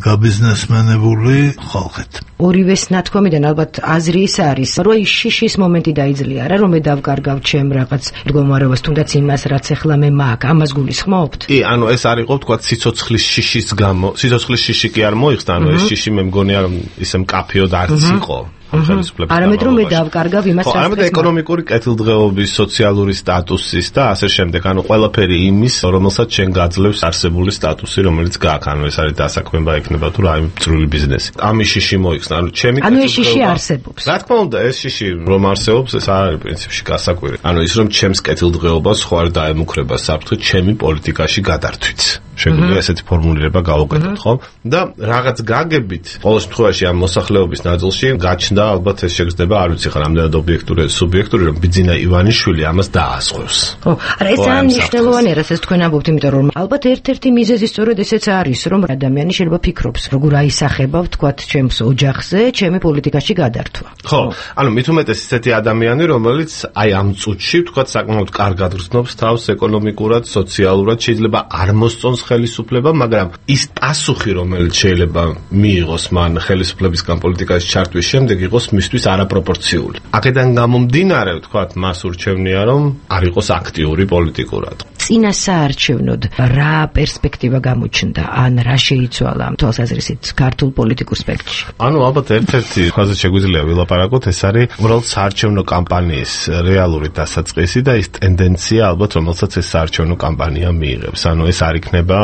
გაბიზნესმენებული ხალხით. ორივეს ნათქვამიდან ალბათ აზრი ის არის, რომ ის შიშის მომენტი დაიძლია რა, რომ მე დავკარგავ ჩემ რაღაც მდგომარეობას, თუნდაც იმას, რაც ახლა მე მაქვს, ამას გულისხმობთ? კი, ანუ ეს არ იყო, ვთქვათ, სიცოცხლის შიშის გამო. სიცოცხლის შიში კი არ მოიხსნა, ანუ ეს შიში მე მგონია, რომ ისე მკაფიოდ არც იყო. არამედ რომ მე დავკარგავ იმას, რაც არამედ ეკონომიკური კეთილდღეობის, სოციალური სტატუსის და ასე შემდეგ, ანუ ყველაფერი იმის, რომელსაც შენ გაძლევს არსებული სტატუსი, რომელიც გააქვს, ანუ ეს არის დასაქმება იქნება თუ რაიმე წვრილი ბიზნესი. ამის შიში მოიხსნა, ანუ ჩემი ანუ ეს შიში არსებობს. რა თქმა უნდა, ეს შიში რომ არსებობს, ეს არ არის პრინციპში გასაკვირი. ანუ ის რომ ჩემს კეთილდღეობას ხო არ დაემუქრება საფრთხე ჩემი პოლიტიკაში გადართვით. შეგვიძლია ესეთი ფორმულირება გავუკეთოთ, ხო? და რაღაც გაგებით, ყოველ შემთხვევაში ამ მოსახლეობის ნაწილში გაჩნდა ალბათ ეს შეგრძნება, არ ვიცი ხარ რამდენად ობიექტური, სუბიექტური, რომ ბიძინა ივანიშვილი ამას დაასხვევს. ხო, არა ეს ძალიან მნიშვნელოვანია, რასაც თქვენ ამბობთ, იმიტომ რომ ალბათ ერთ-ერთი მიზეზი სწორედ ესეც არის, რომ ადამიანი შეიძლება ფიქრობს, როგორ აისახება, ვთქვათ, ჩემს ოჯახზე, ჩემი პოლიტიკაში გადართვა. ხო, ანუ მით უმეტეს ისეთი ადამიანი, რომელიც აი ამ წუთში, ვთქვათ, საკმაოდ კარგად გრძნობს თავს ეკონომიკურად, სოციალურად, შეიძლება არ მოსწონს ხელისუფლება, მაგრამ ის პასუხი, რომელიც შეიძლება მიიღოს მან ხელისუფლებისგან პოლიტიკაში ჩართვის შემდეგ, იყოს მისთვის არაპროპორციული. აქედან გამომდინარე, ვთქვათ, მას ურჩევნია, რომ არ იყოს აქტიური პოლიტიკურად. წინა საარჩევნოდ რა პერსპექტივა გამოჩნდა, ან რა შეიცვალა თვალსაზრისით ქართულ პოლიტიკურ სპექტრში? ანუ ალბათ ერთ-ერთი ხაზი შეგვიძლია ვილაპარაკოთ, ეს არის უბრალოდ საარჩევნო კამპანიის რეალური დასაწყისი და ის ტენდენცია ალბათ, რომელსაც ეს საარჩევნო კამპანია მიიღებს. ანუ ეს არ იქნება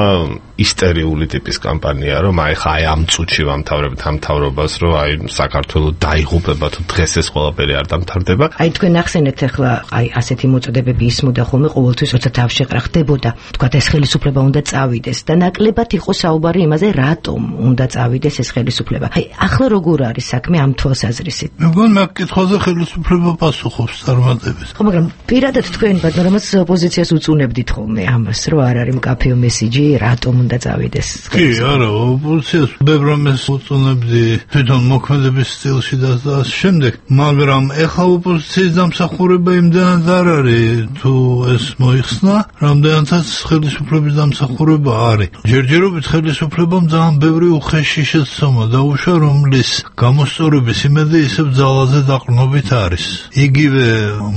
ისტერიული ტიპის კამპანია, რომ აი ხა აი ამ წუთში ვამთავრებთ ამ მთავრობას, რომ აი საქართველოს დაიღუპება თუ დღეს ეს ყველაფერი არ დამთავრდება. აი თქვენ ახსენეთ ახლა აი ასეთი მოწოდებები ისმოდა ხოლმე ყოველთვის, როცა თავში მაგრამ ხდებოდა თქვათ ეს ხელისუფლება უნდა წავიდეს და ნაკლებად იყო საუბარი იმაზე რატომ უნდა წავიდეს ეს ხელისუფლება. აი ახლა როგორ არის საქმე ამ თვალსაზრისით? მეგონა მაგ კითხვაზე ხელისუფლება პასუხობს წარმატებით. ხო, მაგრამ პირადად თქვენ ბატონომაც ოპოზიციას უწუნებდით ხოლმე ამას, რომ არ არის მკაფიო მესიჯი, რატომ უნდა წავიდეს? კი, არა, ოპოზიციას ბევრამეს უწუნებდი თვითონ მოქმედების სტილში და ასე შემდეგ, მაგრამ ეხლა ოპოზიციის დამსახურება იმდანაც არ არის, თუ ეს მოიხსნა, რამდენადაც ხელისუფლების დამსახურება არის. ჯერჯერობით ხელისუფლებამ ძალიან ბევრი უხეში შეცდომა დაუშვა, რომლის გამოსწორების იმედი ისევ ძალაზე დაყრდნობით არის. იგივე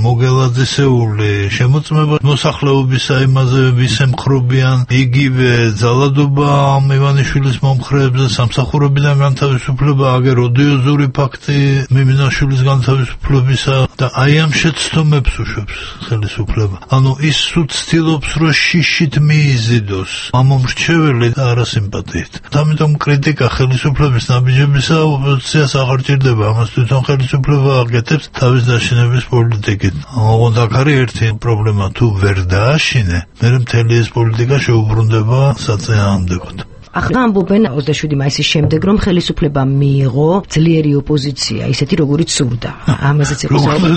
მოგელაძისეული შემოწმება მოსახლეობის აიმაზე ვისემხრობიან, იგივე ძალადობა მივანიშვილის მომხრეებზე, სამსახურებიდან განთავისუფლება, აგერ ოდიოზური ფაქტი მიმინაშვილის განთავისუფლებისა და აი ამ შეცდომებს უშვებს ხელისუფლება. ანუ ის სულ ცდილობს, რომ შიშით მიიზიდოს ამომრჩეველი და არასიმპათიით. ამიტომ კრიტიკა ხელისუფლების ნაბიჯებისა ოპოზიციას აღარ ჭირდება, ამას თვითონ ხელისუფლება აკეთებს თავის დაშინების პოლიტიკით. ოღონდ აქ არის ერთი პრობლემა, თუ ვერ დააშინე, მერე მთელი ეს პოლიტიკა შეუბრუნდება საწინააღმდეგოდ. ახლა ამბობენ 27 მაისის შემდეგ, რომ ხელისუფლებამ მიიღო ძლიერი ოპოზიცია, ისეთი როგორიც სურდა. ამაზეც იყო საუბარი.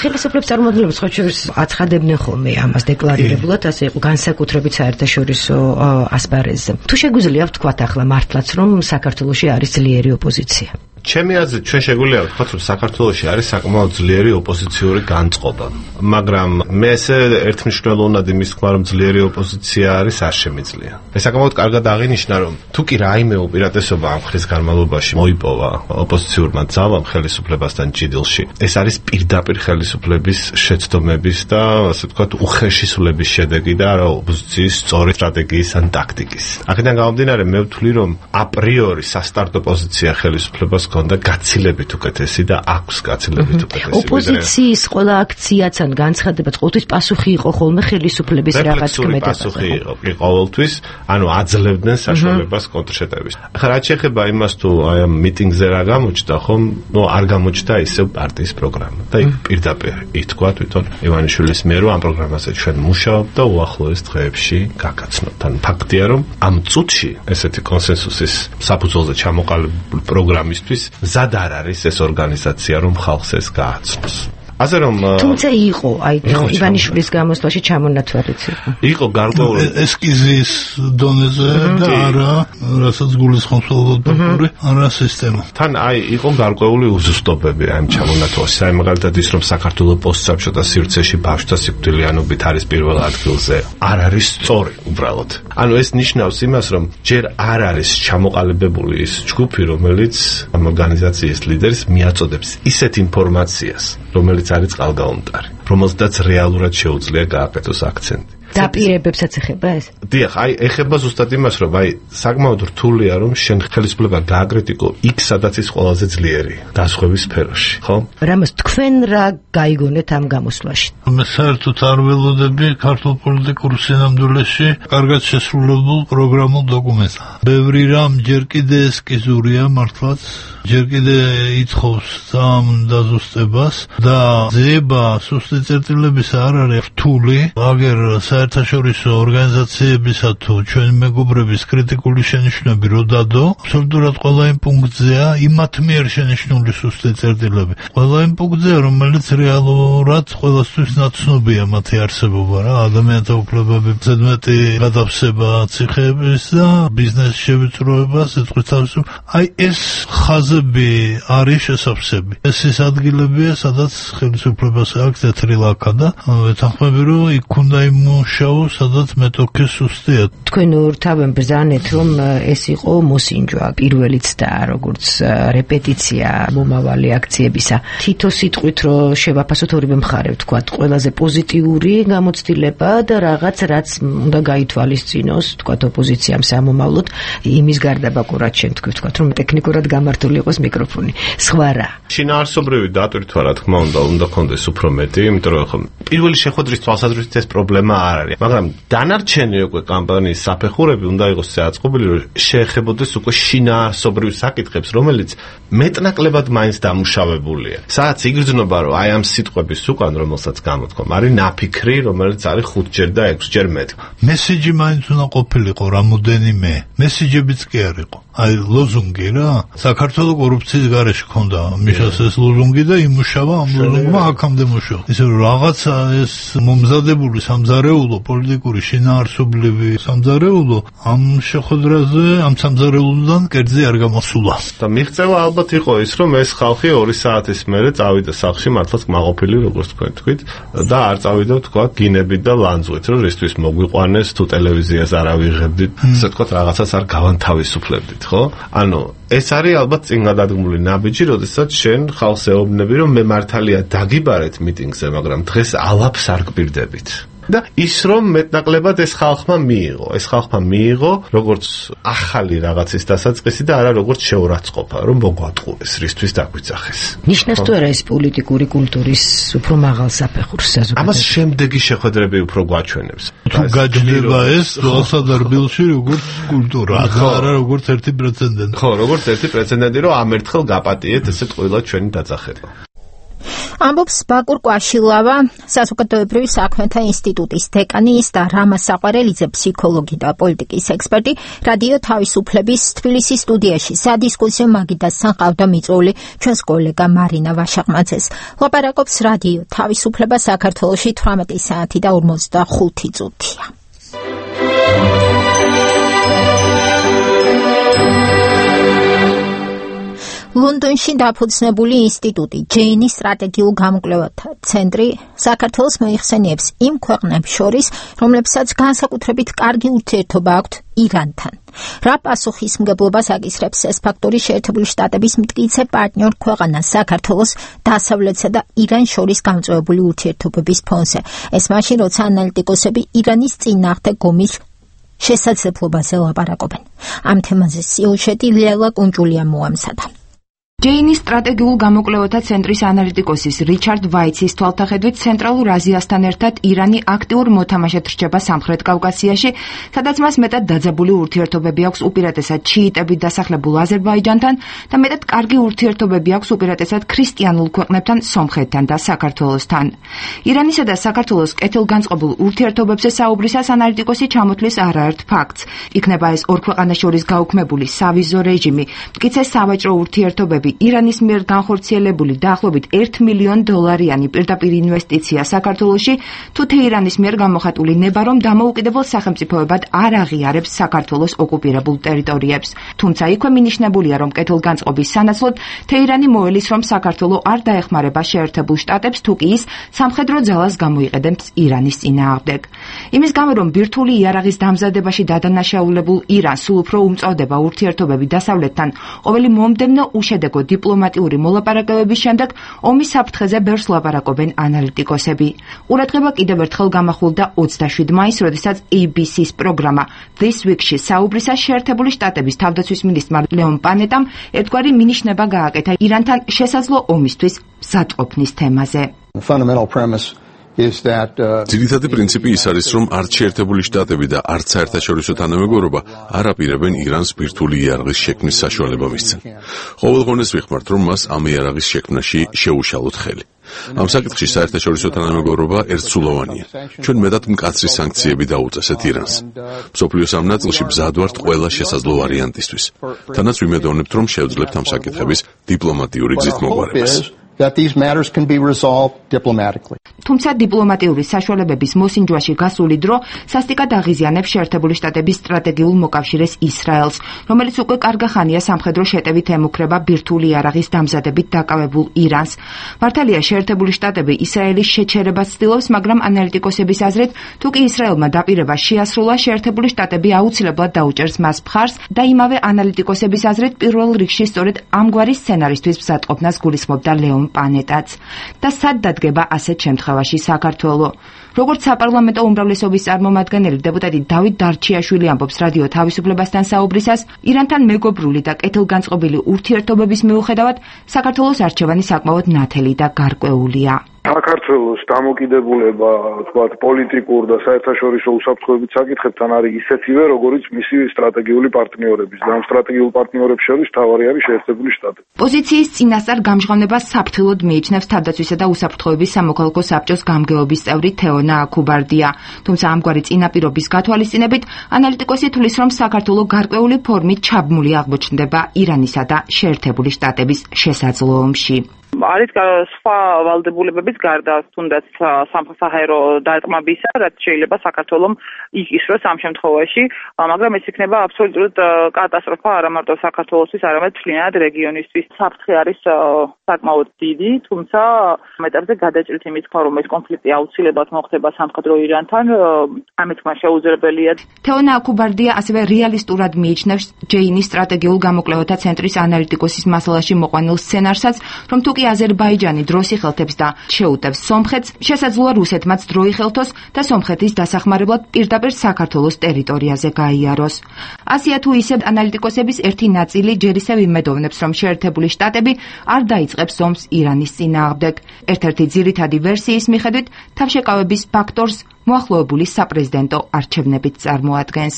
ხელისუფლების წარმომადგენლებს ხო შორის აცხადებდნენ ხოლმე ამას დეკლარირებულად, ასე იყო განსაკუთრებით საერთაშორისო ასპარეზზე. თუ შეგვიძლია ვთქვათ ახლა მართლაც, რომ საქართველოში არის ძლიერი ოპოზიცია. ჩემი აზრით ჩვენ შეგვიძლია ვთქვათ, რომ საქართველოში არის საკმაოდ ძლიერი ოპოზიციური განწყობა, მაგრამ მე ესე ერთმნიშვნელოვნად იმის თქმა, რომ ძლიერი ოპოზიცია არის არ შემიძლია. ეს საკმაოდ კარგად აღინიშნა, რომ თუ კი რაიმე უპირატესობა ამ ხრის განმავლობაში მოიპოვა ოპოზიციურმა ძალამ ხელისუფლებასთან ჭიდილში, ეს არის პირდაპირ ხელისუფლების შეცდომების და ასე ვთქვათ უხეშისულების შედეგი და არა ოპოზიციის სწორი სტრატეგიის ან ტაქტიკის. აქედან გამომდინარე, მე ვთვლი, რომ აპრიორი სასტარტო პოზიცია ხელისუფლებას და გაცილებით უკეთესი და აქვს გაცილებით უკეთესი. ოპოზიციის ყველა აქციაც ან განცხადებაც ყოველთვის პასუხი იყო ხოლმე ხელისუფლების რაღაც ქმედებაზე. პასუხი იყო ყოველთვის, ანუ აძლევდნენ საშუალებას კონტრშეტევის. ახლა რაც შეეხება იმას, თუ აი ამ მიტინგზე რა გამოჩნდა, ხომ, არ გამოჩნდა ისევ პარტიის პროგრამა. და იქ პირდაპირ ითქვა თვითონ ივანიშვილის მიერ, რომ ამ პროგრამაზე ჩვენ მუშაობთ და უახლოეს დღეებში გაგაცნობთ. ან ფაქტია, რომ ამ წუთში ესეთი კონსენსუსის საფუძველზე ჩამოყალიბებული პროგრამისთვის მზად არ არის ეს ორგანიზაცია, რომ ხალხს ეს გააცნოს. ასე რომ თუმცა იყო აი ივანიშვილის გამოსვლაში ჩამონათვალიც იყო გარკვეული ესკიზის დონეზე და არა რასაც გულისხმობს დოქტორი არა სისტემა. თან აი იყო გარკვეული უზუსტობები ამ ჩამონათვალში. აი მაგალითად ის რომ საქართველოს პოსტსაბჭოთა სივრცეში ბავშვთა სიკვდილიანობით არის პირველ ადგილზე არ არის სწორი უბრალოდ. ანუ ეს ნიშნავს იმას, რომ ჯერ არ არის ჩამოყალიბებული ის ჯგუფი, რომელიც ამ ორგანიზაციის ლიდერს მიაწოდებს ისეთ ინფორმაციას, რომელიც არის წყალგაუმტარი, რომელზედაც რეალურად შეუძლია გააკეთოს აქცენტი. დაპირებებსაც ეხება ეს? დიახ, აი ეხება ზუსტად იმას, რომ აი საკმაოდ რთულია, რომ შენ ხელისუფლება გააკრიტიკო იქ, სადაც ის ყველაზე ძლიერია, გასხვების სფეროში, ხო? რამას თქვენ რა გაიგონეთ ამ გამოსვლაში? მე საერთოდ არ ველოდები ქართულ პოლიტიკურ სინამდვილეში კარგად შესრულებულ პროგრამულ დოკუმენტს. ბევრი რამ ჯერ კიდე ესკიზურია მართლაც, ჯერ კიდე ითხოვს ძალიან დაზუსტებას და ძიება სუსტი წერტილების არ არის რთული, აგერ საერთაშორისო ორგანიზაციებისა თუ ჩვენი მეგობრების კრიტიკული შენიშვნები რო დადო, აბსოლუტურად ყველა იმ პუნქტზეა იმათ მიერ შენიშვნული სუსტი წერტილები. ყველა იმ პუნქტზეა, რომელიც რეალურად ყველასთვის ნაცნობია მათი არსებობა რა, ადამიანთა უფლებები, ზედმეტი გადავსება ციხეების და ბიზნესის შევიწროება, სიტყვის თავისუფლება. აი ეს ხაზები არის შესაძლებელი. ეს ის ადგილებია, სადაც ხელისუფლებას აქვს თეთრი ლაქა და ვეთანხმები, რომ იქ უნდა იმუშაო, სადაც მეტოქე სუსტია. თქვენ ორთავენ ბრძანეთ, რომ ეს იყო მოსინჯვა, პირველიც და როგორც რეპეტიცია მომავალი აქციებისა. თითო სიტყვით რომ შევაფასოთ ორივე მხარე, ვთქვათ, ყველაზე პოზიტიური გამოცდილება და რაღაც რაც უნდა გაითვალისწინოს, ვთქვათ, ოპოზიციამ სამომავლოდ, იმის გარდა ბაკურად შენ თქვი, ვთქვათ, რომ ტექნიკურად გამართული იყოს მიკროფონი. სხვა რა? შინაარსობრივი დატვირთვა, რა თქმა უნდა, უნდა კონდეს უფრო მეტი, იმიტომ რომ პირველი შეხვედრის თვალსაზრისით ეს პრობლემა არ არ არის. მაგრამ დანარჩენი უკვე კამპანიის საფეხურები უნდა იყოს აწყობილი, რომ შეეხებოდეს უკვე შინაარსობრივ საკითხებს, რომელიც მეტნაკლებად მაინც დამუშავებულია. სადაც იგრძნობა, რომ აი ამ სიტყვების უკან, რომელსაც გამოთქვამ, არის ნაფიქრი, რომელიც არის 5ჯერ და 6ჯერ მეტი. მესიჯი მაინც უნდა ყოფილიყო რამოდენიმე. მესიჯებიც კი არ იყო. აი ლოზუნგი რა, საქართველოს კორუფციის გარეშე ქონდა მიშას ეს ლოზუნგი და იმუშავა ამ ლოზუნგმა აქამდე მუშაობა. ისე რომ რაღაცა ეს მომზადებული სამზარეულო პოლიტიკური შინაარსობრივი სამზარეულო ამ შეხვედრაზე ამ სამზარეულოდან კერძი არ გამოსულა. და მიღწევა ალბათ იყო ის, რომ ეს ხალხი 2 საათის მერე წავიდა სახლში მართლაც კმაყოფილი, როგორც თქვენ თქვით, და არ წავიდა თქვა გინებით და ლანძღვით, რომ რისთვის მოგვიყვანეს თუ ტელევიზიას არ ავიღებდით, ასე თქვა რაღაცას არ გავანთავისუფლებდით, ხო? ანუ ეს არის ალბათ წინ გადადგმული ნაბიჯი, როდესაც შენ ხალხს ეუბნები, რომ მე მართალია დაგიბარეთ მიტინგზე, მაგრამ დღეს ალაფს არ გპირდებით. და ის რომ მეტნაკლებად ეს ხალხმა მიიღო როგორც ახალი რაღაცის დასაწყისი და არა როგორც შეურაცხყოფა, რომ მოგვატყუეს, რისთვის დაგვიძახეს. ნიშნავს თუ არა ეს პოლიტიკური კულტურის უფრო მაღალ საფეხურს საზოგადოებაში? ამას შემდეგი შეხვედრები უფრო გვაჩვენებს. თუ გაჩნდება ეს ლოსადარბილში როგორც კულტურა, არა როგორც ერთი პრეცედენტი. ხო, როგორც ერთი პრეცედენტი, რომ ამ ერთხელ გაპატიეთ ესეთ ყველა ჩვენი დაძახება. ამბობს ბაკურ კვაშილავა, საზოგადოებრივი საქმეთა ინსტიტუტის დეკანის და რამა საყვარელიძე, ფსიქოლოგი და პოლიტიკის ექსპერტი, რადიო თავისუფლების თბილისის სტუდიაში სადისკუსიო მაგიდასთან ყავდა მიწვეული ჩვენს კოლეგა მარინა ვაშაყმაძეს. ლაპარაკობს რადიო თავისუფლება საქართველოში 18 საათი და 45 წუთია. ლონდონში დაფუძნებული ინსტიტუტი ჯეინის სტრატეგიულ გამოკვლევათა ცენტრი საქართველოს მოიხსენიებს იმ ქვეყნებს შორის, რომლებსაც განსაკუთრებით კარგი ურთიერთობა აქვთ ირანთან. რა პასუხისმგებლობას აკისრებს ეს ფაქტორი შეერთებული შტატების მტკიცე პარტნიორ ქვეყანას საქართველოს დასავლეთსა და ირანს შორის გამწვევებული ურთიერთობების ფონზე. ეს მაშინ, როცა ანალიტიკოსები ირანის წინააღმდეგ ომის შესაძლებლობაზე ლაპარაკობენ. ამ თემაზე სიუჟეტი ლელა კუნჭულია მოამზადა. ჯეინის სტრატეგიულ გამოკვლევათა ცენტრის ანალიტიკოსის რიჩარდ ვაიცის თვალსაჩინო ცენტრალურ აზიასთან ერთად ირანი აქტიურ მოთამაშედ რჩება სამხრეთ კავკასიაში, სადაც მას მეტად დაძაბული ურთიერთობები აქვს უპირატესად შიიტებით დასახლებულ აზერბაიჯანთან და მეტად კარგი ურთიერთობები აქვს უპირატესად ქრისტიანულ ქვეყნებთან, სომხეთთან და საქართველოსთან. ირანისა და საქართველოს კეთილგანწყობილ ურთიერთობებზე საუბრისას ანალიტიკოსი ჩამოთვლის არაერთ ფაქტს. იქნება ეს ორ ქვეყანას შორის გაუქმებული სავიზო რეჟიმი, მტკიცე სავაჭრო ურთიერთობები, ირანის მიერ განხორციელებული დაახლოებით $1 მილიონ პირდაპირ ინვესტიცია საქართველოში, თუ თეირანის მიერ გამოხატული ნება, რომ დამოუკიდებელ სახელმწიფოებად არ აღიარებს საქართველოს ოკუპირებულ ტერიტორიებს. თუმცა იქვე მინიშნებულია, რომ კეთილგანწყობის სანაცვლოდ თეირანი მოელის, რომ საქართველო არ დაეხმარება შეერთებულ შტატებს, თუ კი ის სამხედრო ძალას გამოიყენებს ირანის წინააღმდეგ. იმის გამო, რომ ბირთვული იარაღის დამზადებაში დადანაშაულებულ ირანს სულ უფრო უმწოვდება ურთიერთობები დასავლეთთან, ყოველი მომდევნო უშედეგო დიპლომატიური მოლაპარაკებების შემდეგ ომის საფრთხეზე ბევრს ლაპარაკობენ ანალიტიკოსები. ყურადღება კიდევ ერთხელ გამახვილდა 27 მაისს, როდესაც ABC-ს პროგრამა This Week-ში საუბრისას შეერთებული შტატების თავდაცვის მინისტრმა ლეონ პანეტამ ერთგვარი მინიშნება გააკეთა ირანთან შესაძლო ომისთვის მზადყოფნის თემაზე. ძირითადი პრინციპი ის არის, რომ არც შეერთებული შტატები და არც საერთაშორისო თანამეგობრობა არ აპირებენ ირანს ბირთვული იარაღის შექმნის საშუალება მისცენ. ყოველგვარს ვიხმართ, რომ მას ამ იარაღის შექმნაში შეუშალოთ ხელი. ამ საკითხში საერთაშორისო თანამეგობრობა ერთსულოვანია. ჩვენ მეტად მკაცრი სანქციები დაუწესეთ ირანს. მსოფლიოს ამ ნაწილში მზად ვართ ყველა შესაძლო ვარიანტისთვის. თანაც ვიმედოვნებთ, რომ შევძლებთ ამ საკითხების დიპლომატიური გზით მოგვარებას. that these matters can be resolved diplomatically. თუმცა დიპლომატიური საშუალებების მოსინჯვაში გასული დრო სასტიკად აღიზიანებს შეერთებული შტატების სტრატეგიულ მოკავშირეს ისრაელს, რომელიც უკვე კარგა ხანია სამხედრო შეტევით ემუქრება ბირთვული იარაღის დამზადებით დაკავებულ ირანს. მართალია შეერთებული შტატები ისრაელის შეჩერებას ცდილობს, მაგრამ ანალიტიკოსების აზრით, თუ კი ისრაელმა დაპირება შეასრულა, შეერთებული შტატები აუცილებლად დაუჭერს მას მხარს და იმავე ანალიტიკოსების აზრით, პირველ რიგში სწორედ ამგვარი სცენარისთვის მზადყოფნას გულისხმობდა ლეონ პანეტაც. და სად დადგება ასეთ შემთხვევაში საქართველო? როგორც საპარლამენტო უმრავლესობის წარმომადგენელი დეპუტატი დავით დარჩიაშვილი ამბობს რადიო თავისუფლებასთან საუბრისას, ირანთან მეგობრული და კეთილგანწყობილი ურთიერთობების მიუხედავად, საქართველოს არჩევანი საკმაოდ ნათელი და გარკვეულია. საქართველოს დამოკიდებულება, თქვათ, პოლიტიკურ და საერთაშორისო უსაფრთხოებით საკითხებთან არის ისეთივე, როგორიც მისი სტრატეგიული პარტნიორების. და ამ სტრატეგიულ პარტნიორებს შორის მთავარი არის შეერთებული შტატები. პოზიციის წინასწარ გამჟღავნებას საფრთხილოდ მიიჩნევს თავდაცვისა და უსაფრთხოების სამოქალაქო საბჭოს გამგეობის წევრი თეონა აქუბარდია. თუმცა ამგვარი წინაპირობის გათვალისწინებით ანალიტიკოსი თვლის, რომ საქართველო გარკვეული ფორმით ჩაბმული აღმოჩნდება ირანისა და შეერთებული შტატების შესაძლოებში. არის სხვა ვალდებულებების გარდა თუნდაც სამხედრო დარტყმებისა, რაც შეიძლება საქართველოს იკისროს ამ შემთხვევაში, მაგრამ ეს იქნება აბსოლუტურად კატასტროფა არა მარტო საქართველოსთვის, არამედ მთლიანად რეგიონისთვის. საფრთხე არის საკმაოდ დიდი, თუმცა ამ ეტაპზე გადაჭრით იმის თქვა, რომ ეს კონფლიქტი აუცილებლად მოხდება სამხედრო ირანთან, ამით მას შეუძლებელია. თეონა აქუბარდია ასევე რეალისტურად მიიჩნევს ჯეინის სტრატეგიულ გამოკვლევათა ცენტრის ანალიტიკოსის მასალაში მოყვანილ სცენარსაც, რომ თუკი აზერბაიჯანი დროს იხელთებს და შეუტევს სომხეთს, შესაძლოა რუსეთმაც დრო იხელთოს და სომხეთის დასახმარებლად პირდაპირ საქართველოს ტერიტორიაზე გაიაროს. ასია თუ ისე ანალიტიკოსების ერთი ნაწილი ჯერ ისევ იმედოვნებს, რომ შეერთებული შტატები არ დაიწყებს ომს ირანის წინააღმდეგ. ერთ-ერთი ძირითადი ვერსიის მიხედვით თავშეკავების ფაქტორს მოახლოებული საპრეზიდენტო არჩევნებით წარმოადგენს.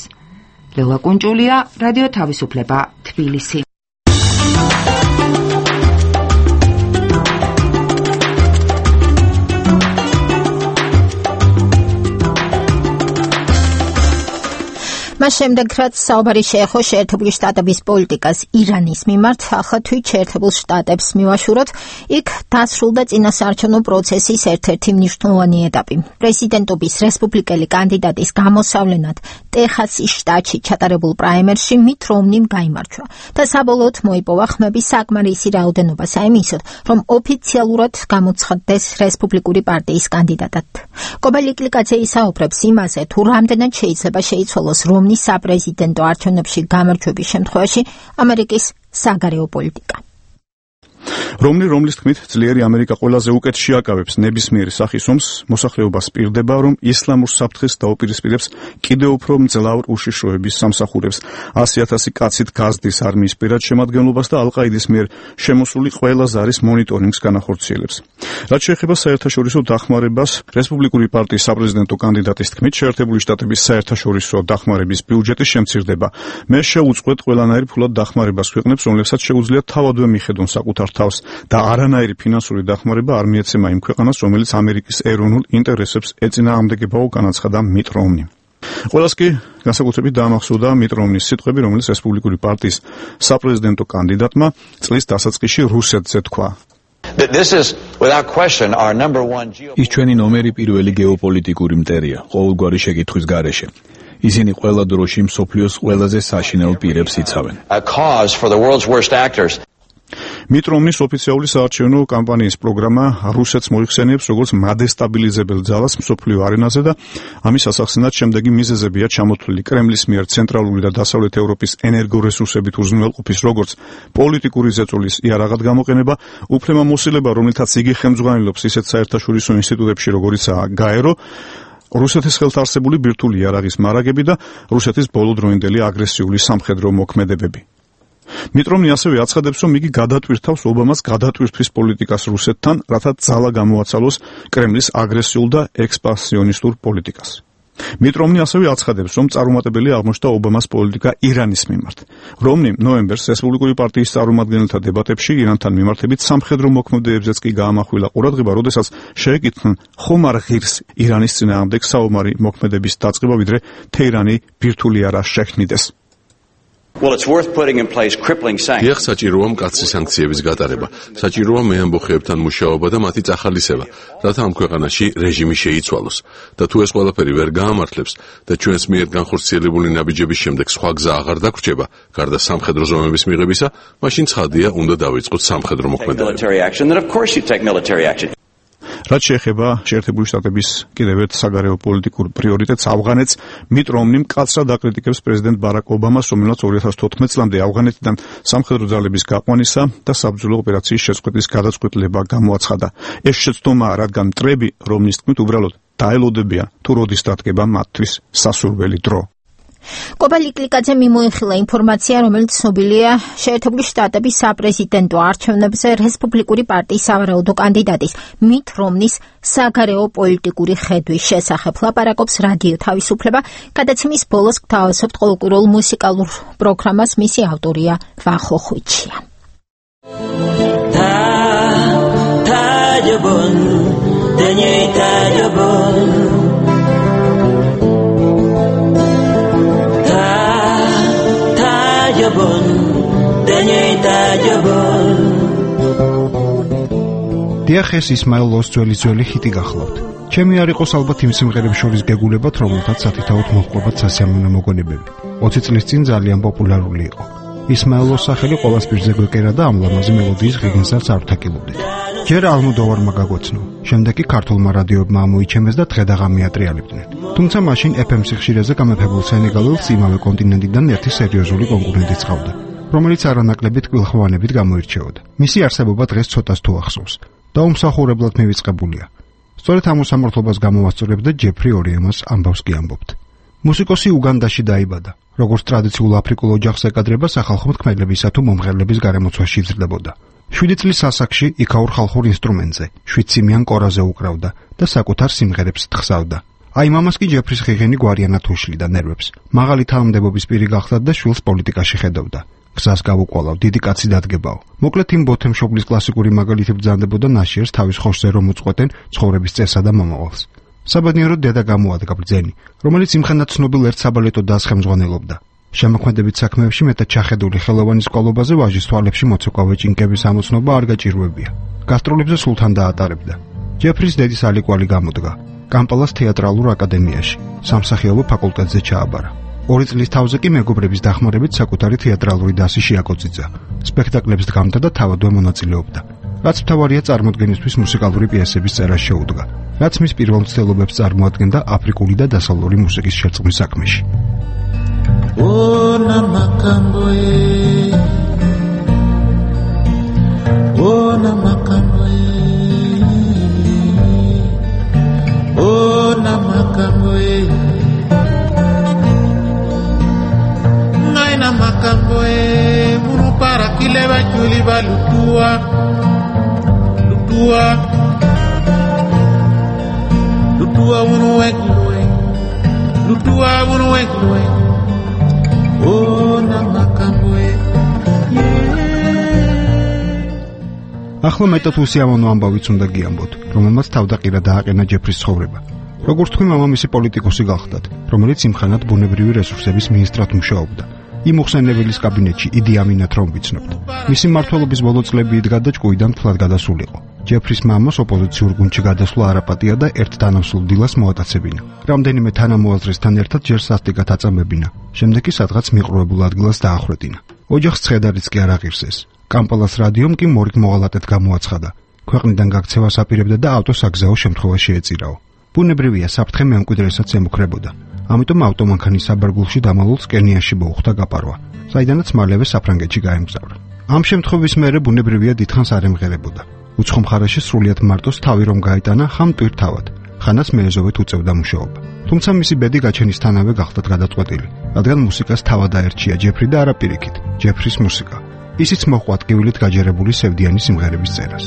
ლელა კუნჭულია, რადიო თავისუფლება, თბილისი. მას შემდეგ, რაც საუბარი შეეხო შეერთებული შტატების პოლიტიკას ირანის მიმართ, ახლა თვით შეერთებულ შტატებს მივაშუროთ, იქ დასრულდა წინასაარჩევნო პროცესის ერთ-ერთი მნიშვნელოვანი ეტაპი. პრეზიდენტობის რესპუბლიკელი კანდიდატის გამოსავლენად ტეხასის შტატში ჩატარებულ პრაიმერში მით რომნიმ გაიმარჯვა და საბოლოოდ მოიპოვა ხმების საკმარისი რაოდენობა საიმისოდ, რომ ოფიციალურად გამოცხადდეს რესპუბლიკური პარტიის კანდიდატად. კობალიკლიკაძე ისაუბრებს იმაზე, თუ რამდენად შეიძლება შეიცვალოს საპრეზიდენტო არჩევნებში გამარჯვების შემთხვევაში ამერიკის საგარეო პოლიტიკა. რომლის თქმით, ძლიერი ამერიკა ყველაზე უკეთ შეაკავებს ნებისმიერ სახის ომს, მოსახლეობას პირდება, რომ ისლამურ საფრთხეს დაუპირისპირებს კიდევ უფრო მძლავრ უშიშროების სამსახურებს, 100,000 კაცით გაზდის არმიის პირად შემადგენლობას და ალ-ყაიდის მიერ შემოსული ყველა ზარის მონიტორინგს განახორციელებს. რაც შეეხება საერთაშორისო დახმარებას, რესპუბლიკური პარტიის საპრეზიდენტო კანდიდატის თქმით, შეერთებული შტატების საერთაშორისო დახმარების ბიუჯეტი შემცირდება. მე შეუწყვეტ ყველანაირ ფულად დახმარებას ქვეყნებს, რომლებსაც შეუძლიათ თავადვე მიხედონ საკუთარ თავს და არანაირი ფინანსური დახმარება არ მიეცემა იმ ქვეყანას, რომელიც ამერიკის ეროვნულ ინტერესებს ეწინააღმდეგებაო, განაცხადა მიტ რომნი. ყველას კი განსაკუთრებით დაამახსოვრდა მიტ რომნის სიტყვები, რომელიც რესპუბლიკური პარტიის საპრეზიდენტო კანდიდატმა წლის დასაწყისში რუსეთზე თქვა. ის ჩვენი ნომერი პირველი გეოპოლიტიკური მტერია ყოველგვარი შეკითხვის გარეშე. ისინი ყველა დროში მსოფლიოს ყველაზე საშინელ პირებს იცავენ. მიტ რომნის ოფიციალური საარჩევნო კამპანიის პროგრამა რუსეთს მოიხსენიებს როგორც მადესტაბილიზებელ ძალას მსოფლიო არენაზე და ამის ასახსენად შემდეგი მიზეზებია ჩამოთვლილი კრემლის მიერ ცენტრალური და დასავლეთ ევროპის ენერგორესურსებით უზრუნველყოფის როგორც პოლიტიკური ზეწოლის იარაღად გამოყენება, უფლებამოსილება, რომლითაც იგი ხელმძღვანელობს ისეთ საერთაშორისო ინსტიტუტებში, როგორიცაა გაერო, რუსეთის ხელთ არსებული ბირთვული იარაღის მარაგები და რუსეთის ბოლოდროინდელი აგრესიული სამხედრო მოქმედებები. მიტ რომნი ასევე აცხადებს, რომ იგი გადატვირთავს ობამას გადატვირთვის პოლიტიკას რუსეთთან, რათა ძალა გამოაცალოს კრემლის აგრესიულ და ექსპანსიონისტურ პოლიტიკას. მიტ რომნი ასევე აცხადებს, რომ წარუმატებელი აღმოჩნდა ობამას პოლიტიკა ირანის მიმართ. რომნი ნოემბერს რესპუბლიკური პარტიის წარმომადგენელთა დებატებში ირანთან მიმართებით სამხედრო მოქმედებებზეც კი გაამახვილა ყურადღება, როდესაც შეეკითხნენ, ხომ არ ღირს ირანის წინააღმდეგ საომარი მოქმედების დაწყება, ვიდრე თეირანი ბირთვული არა შექმნიდეს. დიახ, საჭიროა მკაცრი სანქციების გატარება. საჭიროა მეამბოხეებთან მუშაობა და მათი წახალისება, რათა ამ ქვეყანაში რეჟიმი შეიცვალოს. და თუ ეს ყველაფერი ვერ გაამართლებს და ჩვენს მიერ განხორციელებული ნაბიჯების შემდეგ სხვა გზა აღარ დაგვრჩება, გარდა სამხედრო ზომების მიღებისა, მაშინ ცხადია, უნდა დავიწყოთ სამხედრო მოქმედებები. რაც შეეხება შეერთებული შტატების კიდევ ერთ საგარეო პოლიტიკურ პრიორიტეტს ავღანეთს, მიტ რომნი მკაცრად აკრიტიკებს პრეზიდენტ ბარაკ ობამას, რომელიც 2014 წლამდე ავღანეთიდან სამხედრო ძალების გაყვანისა და საბრძოლო ოპერაციის შეწყვეტის გადაწყვეტილება გამოაცხადა. ეს შეცდომაა, რადგან მტრები რომნის თქმით უბრალოდ დაელოდებიან, თუ როდის დადგება მათთვის სასურველი დრო. კობა ლიკლიკაძე მიმოიხილა ინფორმაცია, რომელიც ცნობილია შეერთებული შტატების საპრეზიდენტო არჩევნებზე რესპუბლიკური პარტიის სავარაუდო კანდიდატის მით რომნის საგარეო პოლიტიკური ხედვის შესახებ. ლაპარაკობს რადიო თავისუფლება. გადაცემის ბოლოს გთავაზობთ ყოველკვირეულ მუსიკალურ პროგრამას. მისი ავტორია ვახო ხვიჩია. დიახ, ეს ისმაილ ლოს ძველი ჰიტი გახლავთ. ჩემი არ იყოს ალბათ იმ სიმღერებს შორის გეგულებათ, რომელთაც სათითაოდ მოჰყვებათ სასიამოვნო მოგონებები. 20 წლის წინ ძალიან პოპულარული იყო. ისმაილ ლოს სახელი ყოველს პირზე გვეკერა და ამ ლამაზი მელოდიის ღირგენსაც არ ვთაკილობდით. ჯერ ალმოდოვარმა გაგოცნო, შემდეგ კი ქართულმა რადიოებმა ამოიჩემეს და დღე-დაღამი ატრიალებდნენ. თუმცა მაშინ FM სიხშირეზე გამეფებულ სენეგალელს იმავე კონტინენტიდან ერთი სერიოზული კონკურენტი წავდა, რომელიც არანაკლებით კვილხვანებით გამოირჩეოდა. მისი არსებობა დღეს ცოტას თუ ახსოვს და უმსახურებლად მივიწყებულია. სწორედ ამ უსამართლობას გამოვასწორებდა ჯეფრი ორიემას ამბავს კი ამბობთ. მუსიკოსი უგანდაში დაიბადა. როგორც ტრადიციულ აფრიკულ ოჯახს ეკადრება, სახალხო მთქმელებისა თუ მომღერლების გარემოცვაში იზრდებოდა. 7 წლის ასაკში იქაურ ხალხურ ინსტრუმენტზე, 7 სიმიან კორაზე უკრავდა და საკუთარ სიმღერებს თხსავდა. აი მამას კი ჯეფრის ხიღენი გვარიანად უშლიდა ნერვებს. მაღალი თანამდებობის პირი გახდა და შვილს პოლიტიკაში ხედავდა. გზას გავუყოლავ, დიდი კაცი დადგებაო. მოკლედ იმ ბოთემშობლის კლასიკური მაგალითი ბრძანდებოდა ნაშიერს თავის ხოშზე რომ უწყვეტენ ცხოვრების წესსა და მომავალს. საბედნიეროდ დედა გამოადგა ბრძენი, რომელიც იმხანად ცნობილ ერთ საბალეტო დასს ხელმძღვანელობდა. შემოქმედებით საქმეებში მეტად ჩახედული ხელოვანის ყოლობაზე ვაჟის თვალებში მოცეკვავე ჭინკების ამოცნობა არ გაჭირვებია. გასტროლებზე სულთან დაატარებდა. ჯეფრის დედის ალიკვალი გამოდგა. კამპალას თეატრალურ აკადემიაში, სამსახიობო ფაკულტეტზე ჩააბარა. 2 წლის თავზე კი მეგობრების დახმარებით საკუთარი თეატრალური დასი შეაკოწიძა. სპექტაკლებს დგამდა და თავადვე მონაწილეობდა. რაც მთავარია წარმოდგენისთვის მუსიკალური პიესების წერა შეუდგა, რაც მის პირველ მცდელობებს წარმოადგენდა აფრიკული და დასავლური მუსიკის შერწყმის საქმეში. ახლა მეტად უსიამოვნო ამბავიც უნდა გიამბოთ, რომელმაც თავდაყირა დააყენა ჯეფრის ცხოვრება. როგორც თქვი, მამამისი პოლიტიკოსი გახლდათ, რომელიც იმხანად ბუნებრივი რესურსების მინისტრად მუშაობდა. იმ უხსენებელის კაბინეტში იდი ამინათ რომ ვიცნობთ. მისი მმართველობის ბოლო წლები იდგა და ჭკუიდან თლად გადასულიყო. ჯეფრის მამას ოპოზიციურ გუნდში გადასვლა არაპატია და ერთ თანამსულ დილას მოატაცებინა. რამდენიმე თანამოაზრესთან ერთად ჯერ სასტიკად აწამებინა. შემდეგ კი სადღაც მიყრუებულ ადგილას დაახვრეტინა. ოჯახს ცხედარიც კი არ აღირსეს. კამპალას რადიომ კი მორიგ მოღალატედ გამოაცხადა. ქვეყნიდან გაქცევას აპირებდა და ავტოსაგზაო შემთხვევა შეეწირაო. ბუნებრივია, საფრთხე მემკვიდრესაც ემუქრებოდა. ამიტომ ავტომანქანის საბარგულში დამალულს კენიაში მოუხდა გაპარვა, საიდანაც მალევე საფრანგეთში გაემგზავრა. ამ შემთხვევის მერე ბუნებრივია დიდხანს არ ემღერებოდა. უცხო მხარეში სრულიად მარტოს თავი რომ გაიტანა ხამ ტვირთავად, ხანას მეეზოვით უწევდა მუშაობა. თუმცა მისი ბედი გაჩენისთანავე გახდა გადაწყვეტილი, რადგან მუსიკას თავად აერჩია ჯეფრი და არა პირიქით, ჯეფრის მუსიკა. ისიც მოჰყვა ტკივილით გაჯერებული სევდიანი სიმღერების წერას.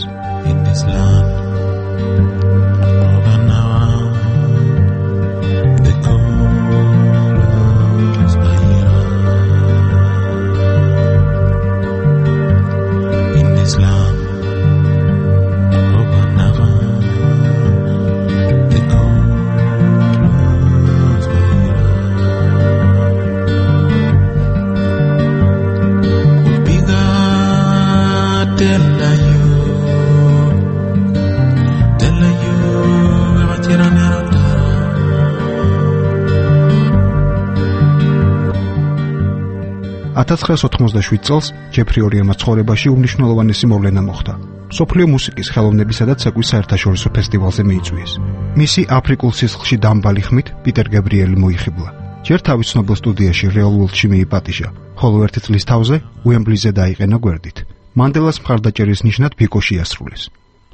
წელს ჯეფრი ორიემას ცხოვრებაში უმნიშვნელოვანესი მოვლენა მოხდა. მსოფლიო მუსიკის, ხელოვნებისა და ცეკვის საერთაშორისო ფესტივალზე მიიწვიეს. მისი აფრიკულ სისხლში დამბალი ხმით პიტერ გაბრიელი მოიხიბლა. ჯერ თავის ცნობილ სტუდიაში რეალ ვორლდში მიიპატიჟა, ხოლო 1 წლის თავზე უემბლიზე დაიყენა გვერდით. მანდელას მხარდაჭერის ნიშნად ბიკოში ასრულეს.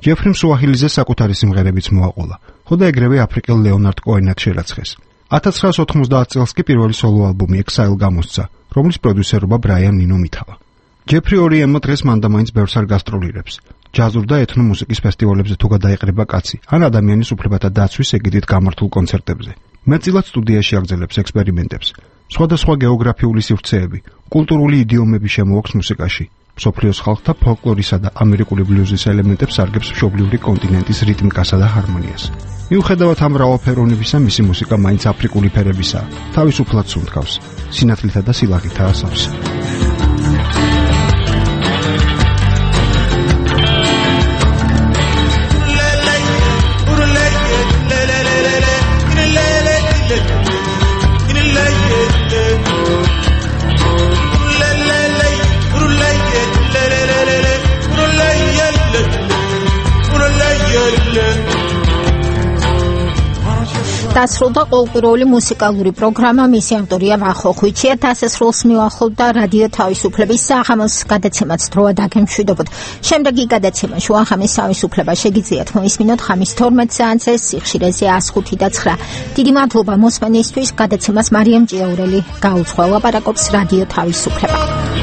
ჯეფრიმ სუაჰილიზე საკუთარი სიმღერებიც მოაყოლა, ხო და ეგრევე აფრიკელ ლეონარდ კოენად შერაცხეს. 1990 წელს კი პირველი სოლო ალბომი Exile გამოსცა, რომლის პროდიუსერობა ბრაიან ნინო მითავა. ჯეფრი ორიემო დღეს მანდამაინც ბევრს არ გასტროლირებს. ჯაზურ და ეთნო მუსიკის ფესტივალებზე თუ გადაიყრება კაცი, ან ადამიანის უფლებათა დაცვის ეგიდით გამართულ კონცერტებზე. მეტწილად სტუდიაში აგრძელებს ექსპერიმენტებს. სხვადასხვა გეოგრაფიული სივრცეები, კულტურული იდიომები შემოაქვს მუსიკაში. მსოფლიოს ხალხთა ფოლკლორისა და ამერიკული ბლუზის ელემენტებს სარგებს მშობლიური კონტინენტის რიტმიკასა და ჰარმონიას. მიუხედავად ამ მრავალფეროვნებისა, მისი მუსიკა მაინც აფრიკული ფერებისაა, თავისუფლად სუნთქავს, სინათლითა და სილაღითაა სავსე. დასრულდა ყოველკვირეული მუსიკალური პროგრამა, მისი ავტორია ვახო ხვიჩია. დასასრულს მივახლოვდა რადიო თავისუფლების საღამოს გადაცემაც დროა დაგემშვიდობოთ. შემდეგი გადაცემა შუახამის თავისუფლება შეგიძლიათ მოისმინოთ ხამის 12 საათზე სიხშირეზე 105.9. დიდი მადლობა მოსმენისთვის. გადაცემას მარიამ ჭიაურელი გაუძღვა. ლაპარაკობს რადიო თავისუფლება.